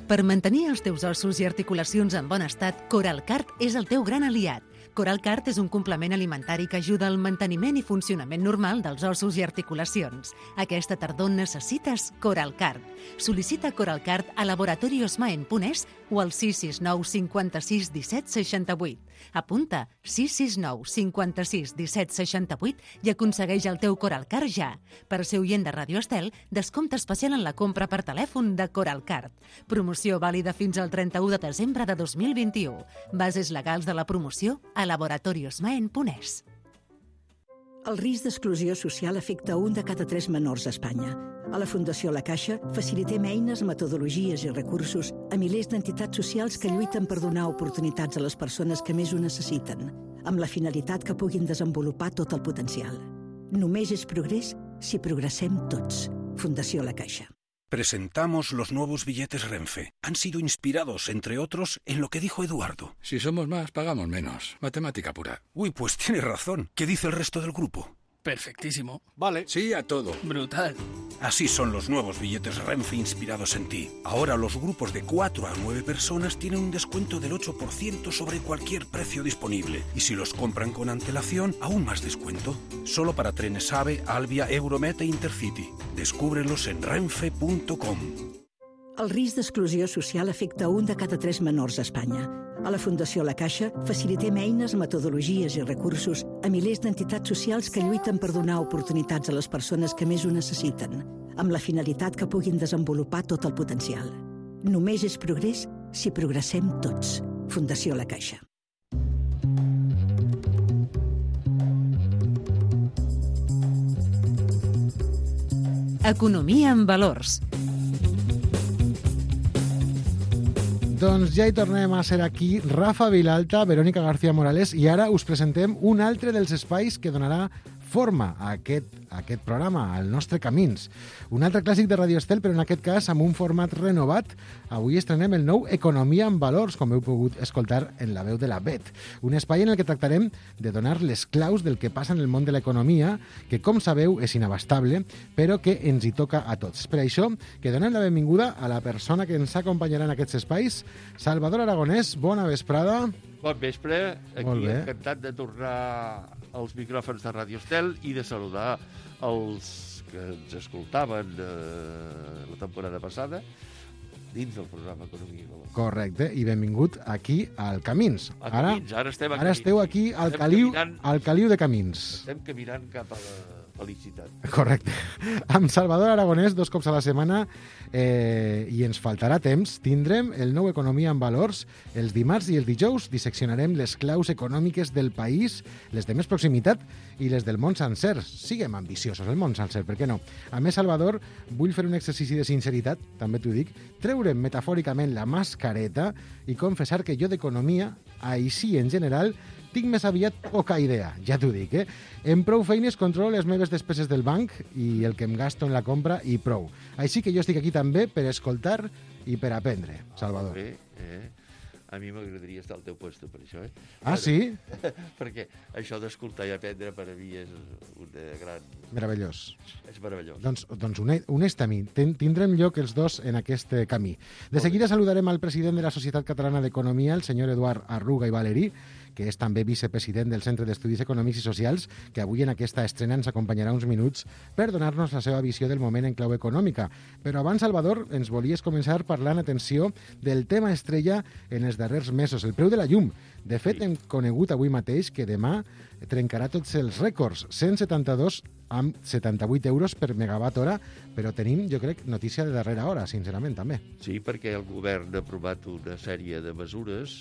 Per mantenir els teus ossos i articulacions en bon estat, Coralcart és el teu gran aliat. Coralcart és un complement alimentari que ajuda al manteniment i funcionament normal dels ossos i articulacions. Aquesta tardor necessites Coralcart. Sol·licita Coralcart a laboratorios maen punt es o al sis sis nou cinquanta-sis disset seixanta-vuit. Apunta sis sis nou cinquanta-sis disset seixanta-vuit i aconsegueix el teu Coralcart ja. Per ser oient de Ràdio Estel, descompte especial en la compra per telèfon de Coralcart. Promoció vàlida fins al trenta-u de desembre de dos mil vint-i-u. Bases legals de la promoció a laboratorios maen punt es. El risc d'exclusió social afecta un de cada tres menors a Espanya. A la Fundació La Caixa facilitem eines, metodologies i recursos a milers d'entitats socials que lluiten per donar oportunitats a les persones que més ho necessiten, amb la finalitat que puguin desenvolupar tot el potencial. Només és progrés si progressem tots. Fundació La Caixa. Presentamos los nuevos billetes Renfe. Han sido inspirados, entre otros, en lo que dijo Eduardo. Si somos más, pagamos menos. Matemática pura. Uy, pues tiene razón. ¿Qué dice el resto del grupo? Perfectísimo. Vale. Sí a todo. Brutal. Así son los nuevos billetes Renfe inspirados en ti. Ahora los grupos de cuatro a nueve personas tienen un descuento del ocho por ciento sobre cualquier precio disponible. Y si los compran con antelación, aún más descuento. Solo para trenes AVE, Alvia, Euromet e Intercity. Descúbrelos en renfe punto com. El risc d'exclusió social afecta un de cada tres menors a Espanya. A la Fundació La Caixa facilitem eines, metodologies i recursos a milers d'entitats socials que lluiten per donar oportunitats a les persones que més ho necessiten, amb la finalitat que puguin desenvolupar tot el potencial. Només és progrés si progressem tots. Fundació La Caixa. Economia en valors. Doncs ja hi tornem a ser aquí, Rafa Vilalta, Verònica García Morales, i ara us presentem un altre dels espais que donarà forma a aquest, a aquest programa, al nostre Camins. Un altre clàssic de Radio Estel, però en aquest cas amb un format renovat. Avui estrenem el nou Economia en Valors, com heu pogut escoltar en la veu de la Bet. Un espai en el que tractarem de donar les claus del que passa en el món de l'economia, que, com sabeu, és inabastable, però que ens hi toca a tots. Per això, que donem la benvinguda a la persona que ens acompanyarà en aquests espais, Salvador Aragonès. Bona vesprada. Bon vespre, aquí encantat de tornar als micròfons de Radio Estel i de saludar els que ens escoltaven eh, la temporada passada dins del programa Economia i Valors. Correcte, i benvingut aquí al Camins. A Camins, ara, ara estem a Ara Camins. esteu aquí al Estem caliu, caminant- al caliu de Camins. Estem caminant cap a la felicitat. Correcte. Amb Salvador Aragonès, dos cops a la setmana, eh, i ens faltarà temps, tindrem el nou Economia en Valors. Els dimarts i els dijous disseccionarem les claus econòmiques del país, les de més proximitat i les del món sencer. Siguem ambiciosos, el món sencer, per què no? A més, Salvador, vull fer un exercici de sinceritat, també t'ho dic, treure'm metafòricament la mascareta i confessar que jo d'economia, així en general, tinc més aviat poca idea, ja t'ho dic, eh? En prou feines controlo les meves despeses del banc i el que em gasto en la compra i prou. Així que jo estic aquí també per escoltar i per aprendre, Salvador. Bé, eh? A mi m'agradaria estar al teu puesto per això, eh? Ah, Però, sí? Perquè això d'escoltar i aprendre per a mi és una gran... Meravellós. És meravellós. Doncs, doncs uneix-te a mi. Ten, tindrem lloc els dos en aquest camí. De seguida saludarem al president de la Societat Catalana d'Economia, el senyor Eduard Arruga i Valerí, que és també vicepresident del Centre d'Estudis Econòmics i Socials, que avui en aquesta estrena ens acompanyarà uns minuts per donar-nos la seva visió del moment en clau econòmica. Però abans, Salvador, ens volies començar parlant, atenció, del tema estrella en els darrers mesos, el preu de la llum. De fet, hem conegut avui mateix que demà trencarà tots els rècords, cent setanta-dos amb setanta-vuit euros per megawatt hora, però tenim, jo crec, notícia de darrera hora, sincerament, també. Sí, perquè el govern ha aprovat una sèrie de mesures,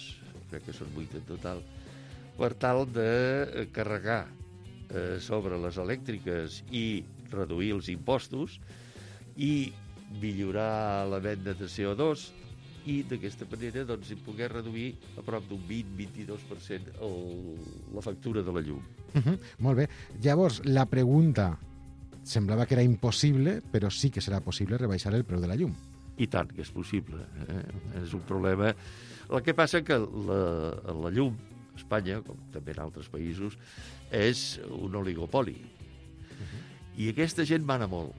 crec que són vuit en total, per tal de carregar eh, sobre les elèctriques i reduir els impostos i millorar la venda de C O dos i d'aquesta manera doncs, poder reduir a prop d'un vint a vint-i-dos per cent el, la factura de la llum. Uh -huh, molt bé. Llavors, la pregunta semblava que era impossible, però sí que serà possible rebaixar el preu de la llum. I tant que és possible. Eh? És un problema. El que passa que la, la llum a Espanya, com també en altres països, és un oligopoli. Uh-huh. I aquesta gent mana molt.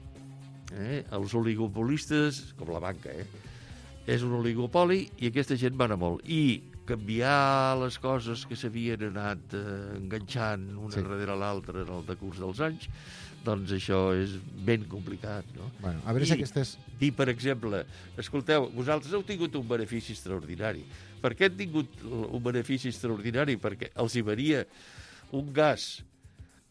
Eh? Els oligopolistes, com la banca, eh? és un oligopoli i aquesta gent mana molt. I canviar les coses que s'havien anat eh, enganxant una sí. darrere l'altra en el decurs dels anys, doncs això és ben complicat, no? Bueno, a veure I, si aquestes... Dir, per exemple, escolteu, vosaltres heu tingut un benefici extraordinari. Per què han tingut un benefici extraordinari? Perquè els hi venia un gas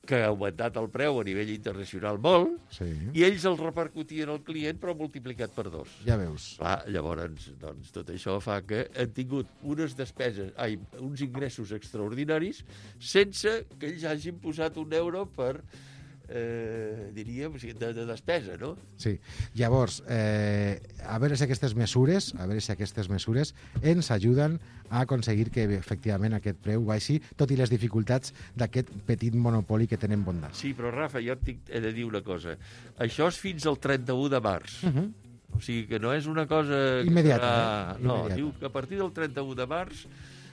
que ha augmentat el preu a nivell internacional molt, sí. i ells el repercutien al client, però multiplicat per dos. Ja veus. Clar, llavors, doncs, tot això fa que han tingut unes despeses, ai, uns ingressos extraordinaris sense que ells hagin posat un euro per... Eh, diríem, de, de despesa, no? Sí. Llavors, eh, a veure si aquestes mesures, a veure si aquestes mesures ens ajuden a aconseguir que efectivament aquest preu baixi, tot i les dificultats d'aquest petit monopoli que tenen bondat. Sí, però Rafa, jo tinc, he de dir una cosa. Això és fins al trenta-u de març. Uh -huh. O sigui que no és una cosa... Immediata, serà... eh? No, Immediata. diu que a partir del trenta-u de març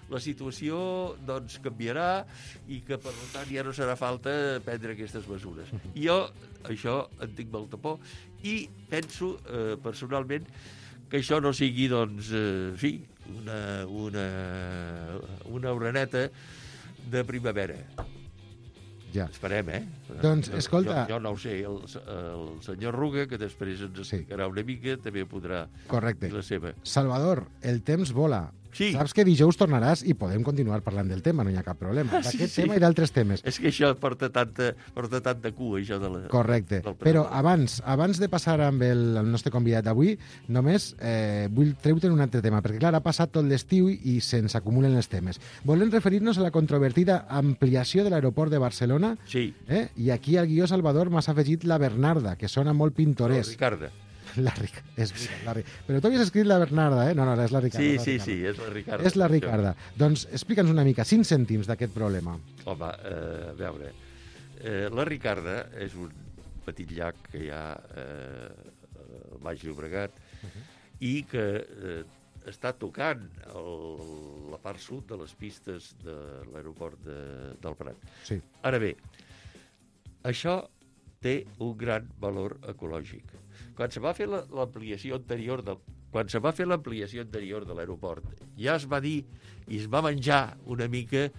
la situació doncs, canviarà i que, per tant, ja no serà falta prendre aquestes mesures. Jo, això, en tinc molta por i penso, eh, personalment, que això no sigui, doncs, eh, sí, una, una, una oreneta de primavera. Ja. Esperem, eh? Doncs, escolta... Jo, jo no ho sé, el, el senyor Ruga, que després ens explicarà sí. una mica, també podrà Correcte. dir la seva. Salvador, el temps vola. Sí. Saps que dijous tornaràs i podem continuar parlant del tema, no hi ha cap problema. D'aquest sí, sí. tema i d'altres temes. És que això porta tanta, porta tanta cua, això de la... Correcte. Però abans abans de passar amb el, el nostre convidat d'avui, només eh, vull treure un altre tema, perquè clar, ha passat tot l'estiu i se'ns acumulen els temes. Volem referir-nos a la controvertida ampliació de l'aeroport de Barcelona. Sí. Eh? I aquí al guió, Salvador, m'has afegit la Bernarda, que sona molt pintoresc. No, Ricarda. La Ric... és la Ric... Però tu havies escrit la Bernarda, eh? No, no, és la Ricarda. Sí, la sí, Ricarda. sí, és la Ricarda. És la Ricarda. Doncs explica'ns una mica, cinc cèntims d'aquest problema. Home, eh, a veure, eh, la Ricarda és un petit llac que hi ha eh, al Baix Llobregat uh -huh. i que eh, està tocant el, la part sud de les pistes de l'aeroport de, del Prat. Sí. Ara bé, això té un gran valor ecològic. Quan se va fer l'ampliació anterior de, quan se va fer l'ampliació anterior de l'aeroport, ja es va dir i es va menjar una mica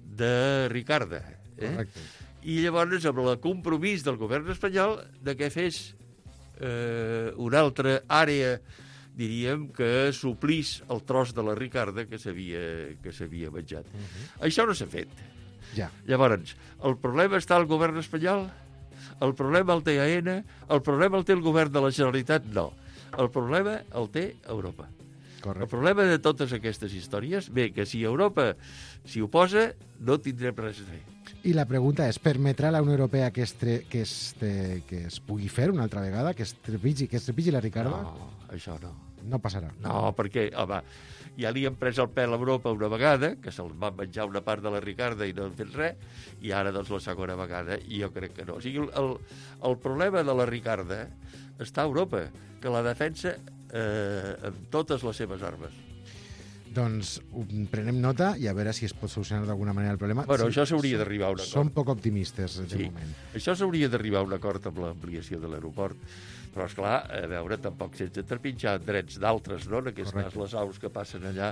de Ricarda. Eh? Correcte. I llavors, amb el compromís del govern espanyol de que fes eh, una altra àrea, diríem, que suplís el tros de la Ricarda que s'havia que s'havia menjat. Uh -huh. Això no s'ha fet. Ja. Llavors, el problema està al govern espanyol? El problema el té A N? El problema el té el govern de la Generalitat? No. El problema el té Europa. Correcte. El problema de totes aquestes històries, bé, que si Europa s'hi oposa, no tindrem res a fer. I la pregunta és, permetrà la Unió Europea que es, tre... que es, te... que es pugui fer una altra vegada, que es trepitgi, que es trepitgi la Ricarda? No, això no. No passarà. No, perquè, home, ja li han pres el pèl a Europa una vegada, que se'ls va menjar una part de la Ricarda i no han fet res, i ara, doncs, la segona vegada, i jo crec que no. O sigui, el, el problema de la Ricarda està a Europa, que la defensa eh, amb totes les seves armes. Doncs prenem nota i a veure si es pot solucionar d'alguna manera el problema. Bueno, sí, això s'hauria d'arribar a un acord. Som poc optimistes, de sí. moment. Això s'hauria d'arribar a un acord amb l'ampliació de l'aeroport. Però, esclar, a veure, tampoc sense trepitjar drets d'altres, no? En aquest cas, les aus que passen allà,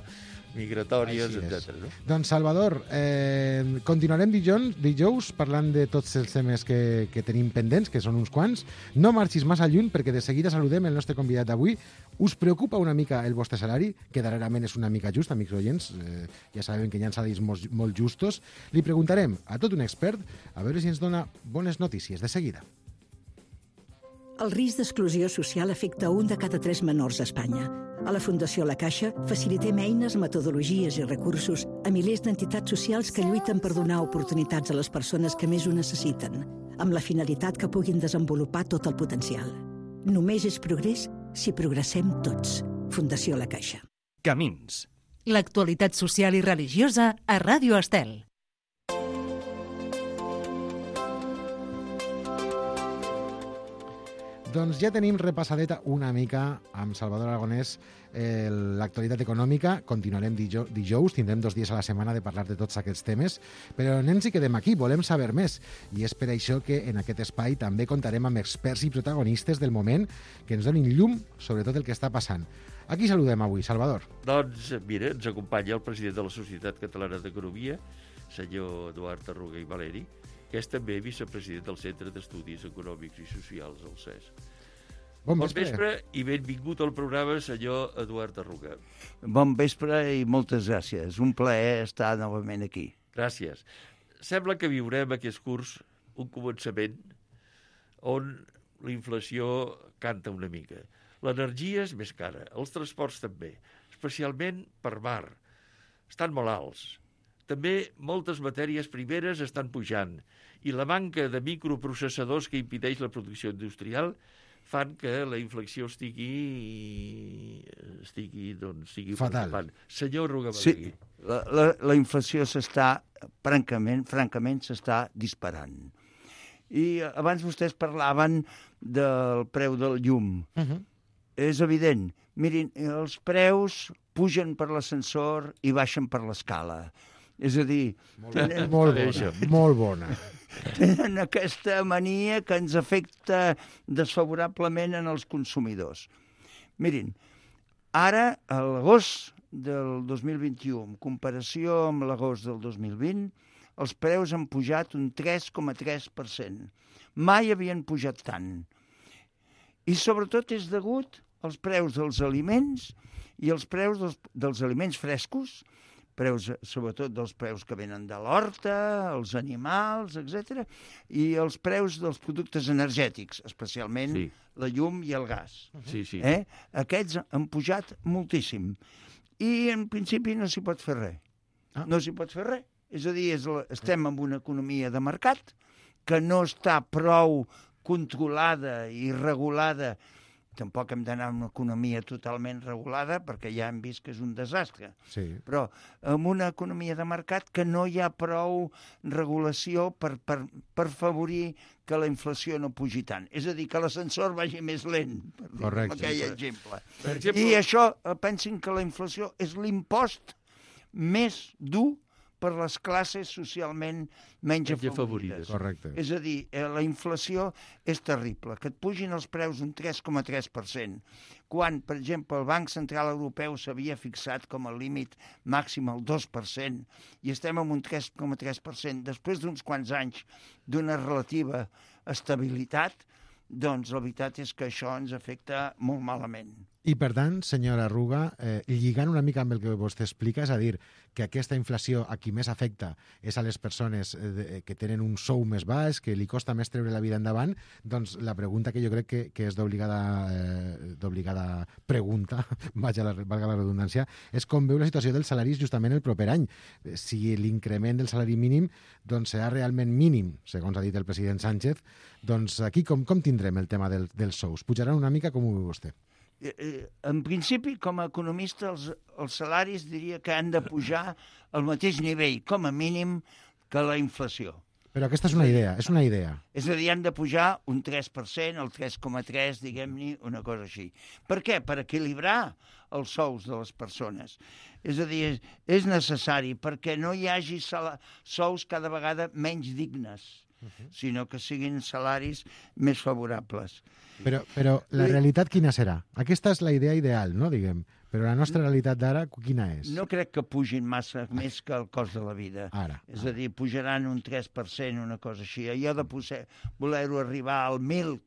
migratòries, etcètera. No? Doncs, Salvador, eh, continuarem dijous, dijous parlant de tots els temes que, que tenim pendents, que són uns quants. No marxis massa lluny, perquè de seguida saludem el nostre convidat d'avui. Us preocupa una mica el vostre salari, que darrerament és una mica just, amics oients, eh, ja sabem que hi ha salaris molt, molt justos. Li preguntarem a tot un expert a veure si ens dona bones notícies de seguida. El risc d'exclusió social afecta un de cada tres menors a Espanya. A la Fundació La Caixa facilitem eines, metodologies i recursos a milers d'entitats socials que lluiten per donar oportunitats a les persones que més ho necessiten, amb la finalitat que puguin desenvolupar tot el potencial. Només és progrés si progressem tots. Fundació La Caixa. Camins. L'actualitat social i religiosa a Ràdio Estel. Doncs ja tenim repassadeta una mica amb Salvador Aragonès eh, l'actualitat econòmica. Continuarem dijous, dijous, tindrem dos dies a la setmana de parlar de tots aquests temes, però no ens hi quedem aquí, volem saber més. I és per això que en aquest espai també contarem amb experts i protagonistes del moment que ens donin llum sobre tot el que està passant. A qui saludem avui, Salvador? Doncs, mira, ens acompanya el president de la Societat Catalana d'Economia, senyor Eduard Arruga i Valeri, que és també vicepresident del Centre d'Estudis Econòmics i Socials, el C E S. Bon bon vespre. vespre i benvingut al programa, senyor Eduard Arruga. Bon vespre i moltes gràcies. Un plaer estar novament aquí. Gràcies. Sembla que viurem aquest curs un començament on la inflació canta una mica. L'energia és més cara, els transports també, especialment per mar. Estan molt alts. També moltes matèries primeres estan pujant i la manca de microprocessadors que impedeix la producció industrial fan que la inflació estigui, estigui, doncs, estigui fatal. Preocupant. Senyor Arruga Sí, Valeri. la, la, la inflació s'està, francament, francament s'està disparant. I abans vostès parlaven del preu del llum. Uh-huh. És evident. Mirin, els preus pugen per l'ascensor i baixen per l'escala. És a dir... Molt, tenen, molt bona, molt bona. Tenen aquesta mania que ens afecta desfavorablement en els consumidors. Mirin, ara, a l'agost del dos mil vint-i-u, en comparació amb l'agost del dos mil vint, els preus han pujat un tres coma tres per cent. Mai havien pujat tant. I sobretot és degut als preus dels aliments i als preus dels, dels aliments frescos, preus, sobretot dels preus que venen de l'horta, els animals, etcètera, i els preus dels productes energètics, especialment sí. la llum i el gas. Sí, sí. Eh? Aquests han pujat moltíssim. I en principi no s'hi pot fer res. Ah. No s'hi pot fer res. És a dir, és la, estem en una economia de mercat que no està prou controlada i regulada. Tampoc hem d'anar a una economia totalment regulada perquè ja hem vist que és un desastre. Sí. Però en una economia de mercat que no hi ha prou regulació per, per, per favorir que la inflació no pugi tant. És a dir, que l'ascensor vagi més lent, per dir Correcte. aquell exemple. Per exemple. I això, pensin que la inflació és l'impost més dur per les classes socialment menys afavorides. Correcte. És a dir, la inflació és terrible. Que et pugin els preus un tres coma tres per cent, quan, per exemple, el Banc Central Europeu s'havia fixat com a límit màxim el dos per cent, i estem en un tres coma tres per cent, després d'uns quants anys d'una relativa estabilitat, doncs la veritat és que això ens afecta molt malament. I, per tant, senyora Arruga, eh, lligant una mica amb el que vostè explica, és a dir, que aquesta inflació a qui més afecta és a les persones eh, que tenen un sou més baix, que li costa més treure la vida endavant, doncs la pregunta que jo crec que, que és d'obligada eh, d'obligada pregunta, vaja la, valga la redundància, és com veu la situació dels salaris justament el proper any. Si l'increment del salari mínim doncs, serà realment mínim, segons ha dit el president Sánchez, doncs aquí com, com tindrem el tema del, dels sous? Pujaran una mica, com ho veu vostè? En principi, com a economista, els, els salaris diria que han de pujar al mateix nivell, com a mínim, que la inflació. Però aquesta és una idea, és una idea. És a dir, han de pujar un tres per cent, el tres coma tres, diguem-ne, una cosa així. Per què? Per equilibrar els sous de les persones. És a dir, és necessari perquè no hi hagi sous cada vegada menys dignes, sinó que siguin salaris més favorables. Però, però la realitat quina serà? Aquesta és la idea ideal, no, diguem. Però la nostra realitat d'ara, quina és? No crec que pugin massa més que el cost de la vida. Ara. És a dir, pujaran un tres per cent, una cosa així. Allò de voler-ho arribar al mil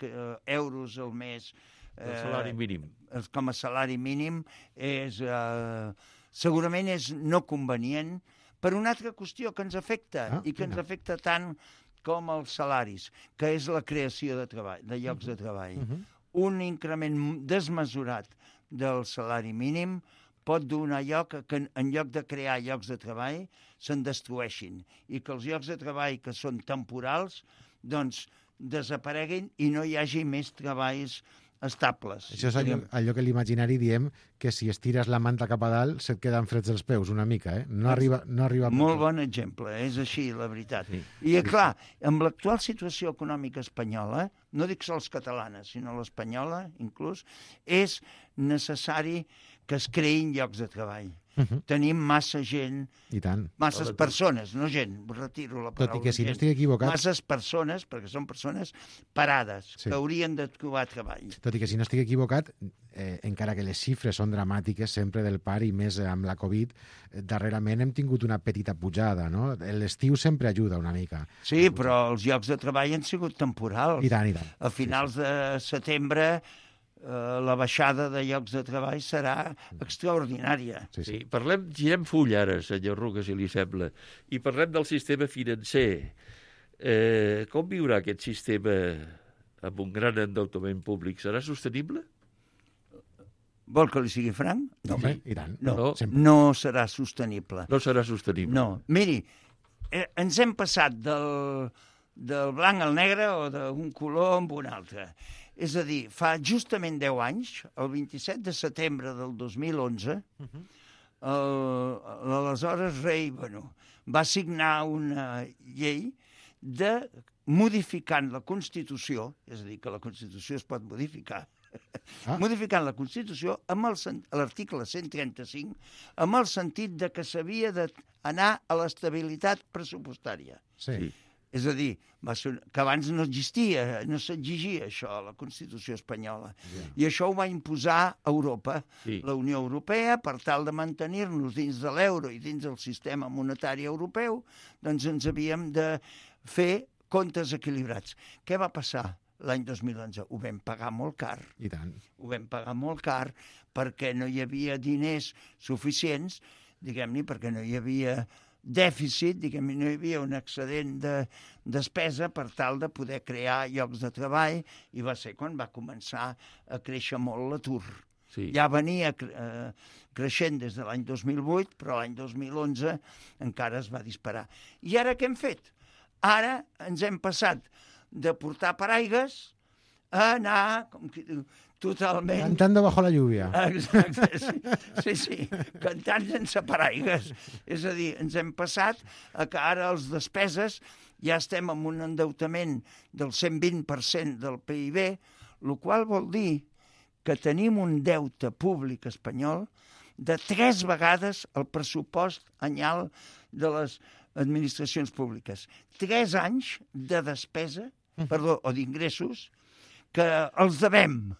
euros al mes... El salari mínim. Eh, com a salari mínim és... Eh, segurament és no convenient per una altra qüestió que ens afecta ah, i que ens no. afecta tant com els salaris, que és la creació de treball, de llocs uh -huh. de treball. Uh -huh. Un increment desmesurat del salari mínim pot donar lloc a que en lloc de crear llocs de treball se'n destrueixin i que els llocs de treball que són temporals doncs desapareguin i no hi hagi més treballs estables. Això és allò, allò que l'imaginari diem que si estires la manta cap a dalt se't queden freds els peus una mica, eh? No arriba, no arriba Molt bon exemple, és així, la veritat. Sí. I, clar, amb l'actual situació econòmica espanyola, no dic sols catalana, sinó l'espanyola, inclús, és necessari que es creïn llocs de treball. Uh -huh. Tenim massa gent, I tant. masses persones, no gent, retiro la paraula. Tot i que si gent, no estic equivocat... Masses persones, perquè són persones parades, sí. que haurien de trobar treball. Tot i que si no estic equivocat, eh, encara que les xifres són dramàtiques sempre del par i més amb la Covid, eh, darrerament hem tingut una petita pujada, no? L'estiu sempre ajuda una mica. Sí, però els llocs de treball han sigut temporals. I tant, i tant. A finals sí, sí. de setembre... Uh, la baixada de llocs de treball serà extraordinària. Sí, sí. Parlem, girem full ara, senyor Ruga, si li sembla, i parlem del sistema financer. Eh, com viurà aquest sistema amb un gran endeutament públic? Serà sostenible? Vol que li sigui franc? No, home, i tant. No, no, no serà sostenible. No serà sostenible. No. Miri, eh, ens hem passat del, del blanc al negre o d'un color amb un altre. És a dir, fa justament deu anys, el vint-i-set de setembre del dos mil onze, uh-huh. l'aleshores rei bueno, va signar una llei de modificant la Constitució, és a dir, que la Constitució es pot modificar, ah. modificant la Constitució amb l'article cent trenta-cinc amb el sentit de que s'havia d'anar a l'estabilitat pressupostària. Sí. És a dir, va ser, que abans no existia, no s'exigia això a la Constitució espanyola. Yeah. I això ho va imposar Europa, sí. la Unió Europea, per tal de mantenir-nos dins de l'euro i dins del sistema monetari europeu, doncs ens havíem de fer comptes equilibrats. Què va passar l'any dos mil onze? Ho vam pagar molt car. I tant. Ho vam pagar molt car perquè no hi havia diners suficients, diguem-ne, perquè no hi havia... dèficit, diguem, no hi havia un excedent de despesa per tal de poder crear llocs de treball i va ser quan va començar a créixer molt l'atur. Sí. Ja venia eh, creixent des de l'any dos mil vuit, però l'any dos mil onze encara es va disparar. I ara què hem fet? Ara ens hem passat de portar paraigues a anar, com que diu, totalment... Cantando bajo la lluvia. Exacte, sí, sí, sí, cantant sense paraigues. És a dir, ens hem passat a que ara els despeses ja estem amb un endeutament del cent vint per cent del P I B, el qual vol dir que tenim un deute públic espanyol de tres vegades el pressupost anyal de les administracions públiques. Tres anys de despesa, perdó, o d'ingressos, que els devem.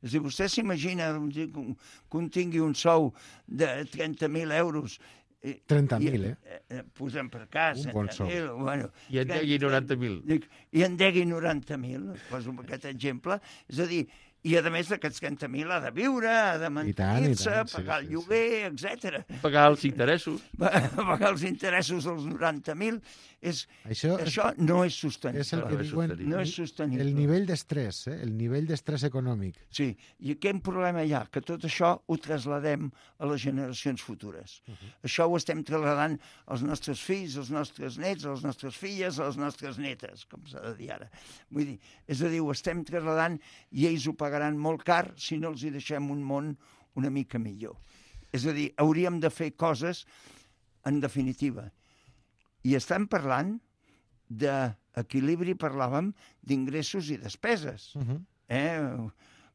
És a dir, vostè s'imagina que un tingui un sou de trenta mil euros... trenta mil, eh? eh? Posem per cas. Un bon sou. Bueno, I en degui noranta mil. I en degui noranta mil, poso aquest exemple. És a dir, i a més d'aquests trenta mil ha de viure, ha de mantenir-se, pagar el lloguer, etcètera. Pagar els interessos. Pagar els interessos dels noranta mil. És, això, això no és sostenible. És el que diuen, no és sostenible. El nivell d'estrès, eh? el nivell d'estrès econòmic. Sí, i quin problema hi ha? Que tot això ho trasladem a les generacions futures. Uh -huh. Això ho estem trasladant als nostres fills, als nostres nets, a les nostres filles, a les nostres netes, com s'ha de dir ara. Vull dir, és a dir, ho estem trasladant i ells ho pagaran molt car si no els hi deixem un món una mica millor. És a dir, hauríem de fer coses, en definitiva. I estan parlant d'equilibri parlàvem d'ingressos i despeses. Uh -huh. Eh?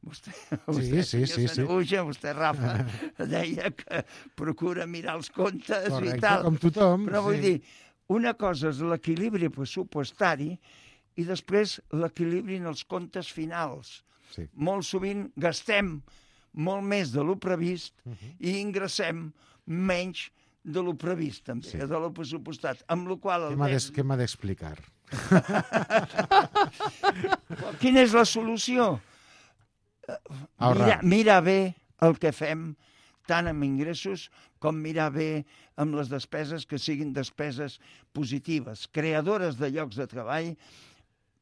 Vostè, vostè sí, sí, sí, Sanahuja, sí. vostè, Rafa, deia que procura mirar els comptes Correcte, i tal. com tothom. Però vull sí. dir, una cosa és l'equilibri pressupostari i després l'equilibri en els comptes finals. Sí. Molt sovint gastem molt més de lo previst uh -huh. i ingressem menys de lo previst, també, sí. de lo pressupostat. Amb la qual el Què m'ha d'explicar? Quina és la solució? Mira, mira bé el que fem, tant amb ingressos com mirar bé amb les despeses, que siguin despeses positives, creadores de llocs de treball,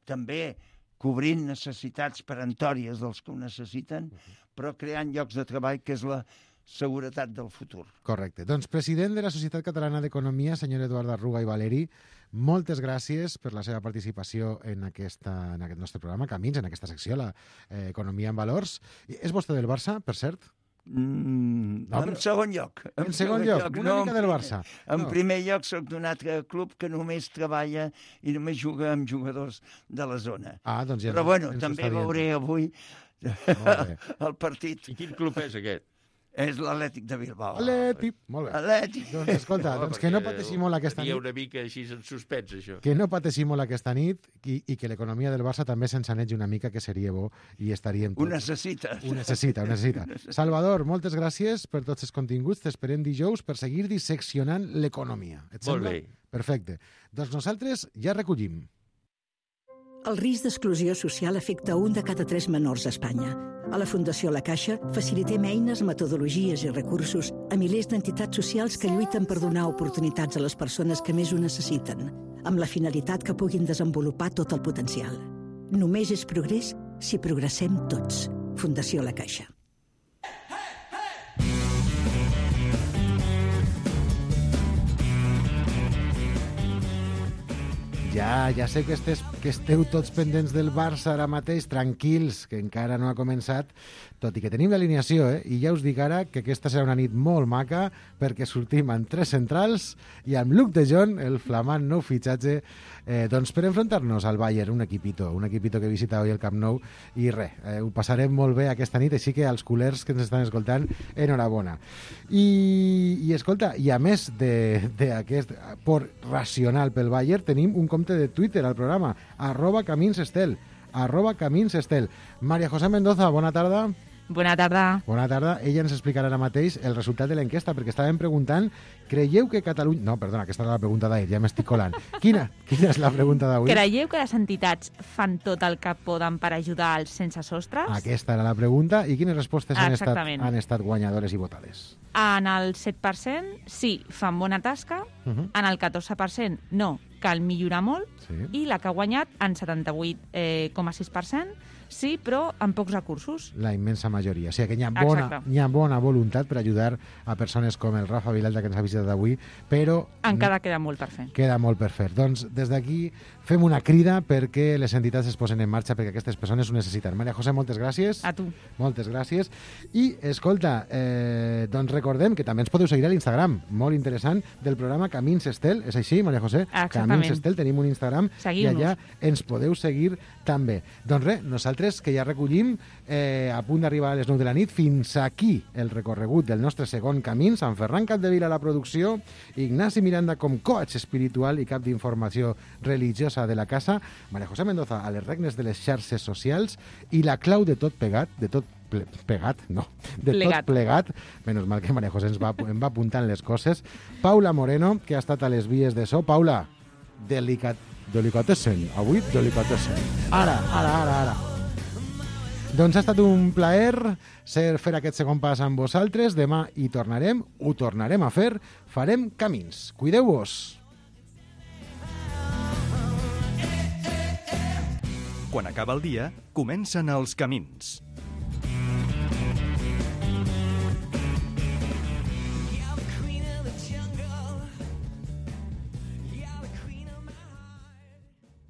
també cobrint necessitats peremptòries dels que ho necessiten, però creant llocs de treball, que és la seguretat del futur. Correcte. Doncs, president de la Societat Catalana d'Economia, senyor Eduard Arruga i Valeri, moltes gràcies per la seva participació en, aquesta, en aquest nostre programa, Camins, en aquesta secció, la eh, Economia en Valors. És vostè del Barça, per cert? Mm, no, en però... segon lloc. En, en segon, segon lloc, lloc. Una no, mica del Barça. En no. primer lloc soc d'un altre club que només treballa i només juga amb jugadors de la zona. Ah, doncs ja però bueno, també veuré avui el partit. I quin club és aquest? És l'Atlètic de Bilbao. Atlètic, molt bé. Atlètic. Doncs escolta, no, doncs que no pateixi molt aquesta nit. Hi ha una mica així en suspens, això. Que no pateixi molt aquesta nit i, i que l'economia del Barça també s'ensanegi una mica, que seria bo i estaríem tots. Ho necessita. Ho necessita, ho necessita. Salvador, moltes gràcies per tots els continguts. T'esperem dijous per seguir disseccionant l'economia. Et sembla? Molt bé. Perfecte. Doncs nosaltres ja recollim. El risc d'exclusió social afecta un de cada tres menors a Espanya. A la Fundació La Caixa facilitem eines, metodologies i recursos a milers d'entitats socials que lluiten per donar oportunitats a les persones que més ho necessiten, amb la finalitat que puguin desenvolupar tot el potencial. Només és progrés si progressem tots. Fundació La Caixa. Ja, ja sé que, estes, que esteu tots pendents del Barça ara mateix, tranquils, que encara no ha començat, tot i que tenim l'alineació, eh? I ja us dic ara que aquesta serà una nit molt maca, perquè sortim amb tres centrals i amb Luc de Jong, el flamant nou fitxatge, eh, doncs per enfrontar-nos al Bayern, un equipito, un equipito que visita avui el Camp Nou, i res, eh, ho passarem molt bé aquesta nit, així que als culers que ens estan escoltant, enhorabona. I, i escolta, i a més d'aquest por racional pel Bayern, tenim un compte de Twitter al programa, arroba Camins Estel, arroba Camins Estel. María José Mendoza, bona tarda. Bona tarda. Bona tarda. Ella ens explicarà ara mateix el resultat de l'enquesta, perquè estàvem preguntant, creieu que Catalunya... No, perdona, aquesta era la pregunta d'ahir, ja m'estic colant. Quina? Quina és la pregunta d'avui? Creieu que les entitats fan tot el que poden per ajudar els sense sostres? Aquesta era la pregunta. I quines respostes han estat, Exactament. han estat guanyadores i votades? En el set per cent, sí, fan bona tasca. Uh -huh. En el catorze per cent, no, cal millorar molt. Sí. I la que ha guanyat, en setanta-vuit coma sis per cent, sí, però amb pocs recursos. La immensa majoria. O sigui que hi ha bona, Exacte. hi ha bona voluntat per ajudar a persones com el Rafa Vilalta, que ens ha visitat avui, però... Encara queda molt per fer. Queda molt per fer. Doncs des d'aquí fem una crida perquè les entitats es posen en marxa, perquè aquestes persones ho necessiten. Maria José, moltes gràcies. A tu. Moltes gràcies. I, escolta, eh, doncs recordem que també ens podeu seguir a l'Instagram, molt interessant, del programa Camins Estel. És així, Maria José? Exactament. Camins Estel, tenim un Instagram i allà ens podeu seguir també. Doncs res, nosaltres que ja recollim eh, a punt d'arribar a les nou de la nit, fins aquí el recorregut del nostre segon Camins, amb Ferran Capdevila a la producció, Ignasi Miranda com coach espiritual i cap d'informació religiosa de la casa, Maria José Mendoza a les regnes de les xarxes socials i la clau de tot pegat, de tot ple, pegat, no, de plegat. tot plegat, menys mal que Maria José ens va, em va apuntant les coses, Paula Moreno, que ha estat a les vies de so. Paula, delicat, delicatessen, avui delicatessen. Ara, ara, ara, ara. Doncs ha estat un plaer ser fer aquest segon pas amb vosaltres. Demà hi tornarem, ho tornarem a fer, farem camins. Cuideu-vos. Quan acaba el dia, comencen els camins.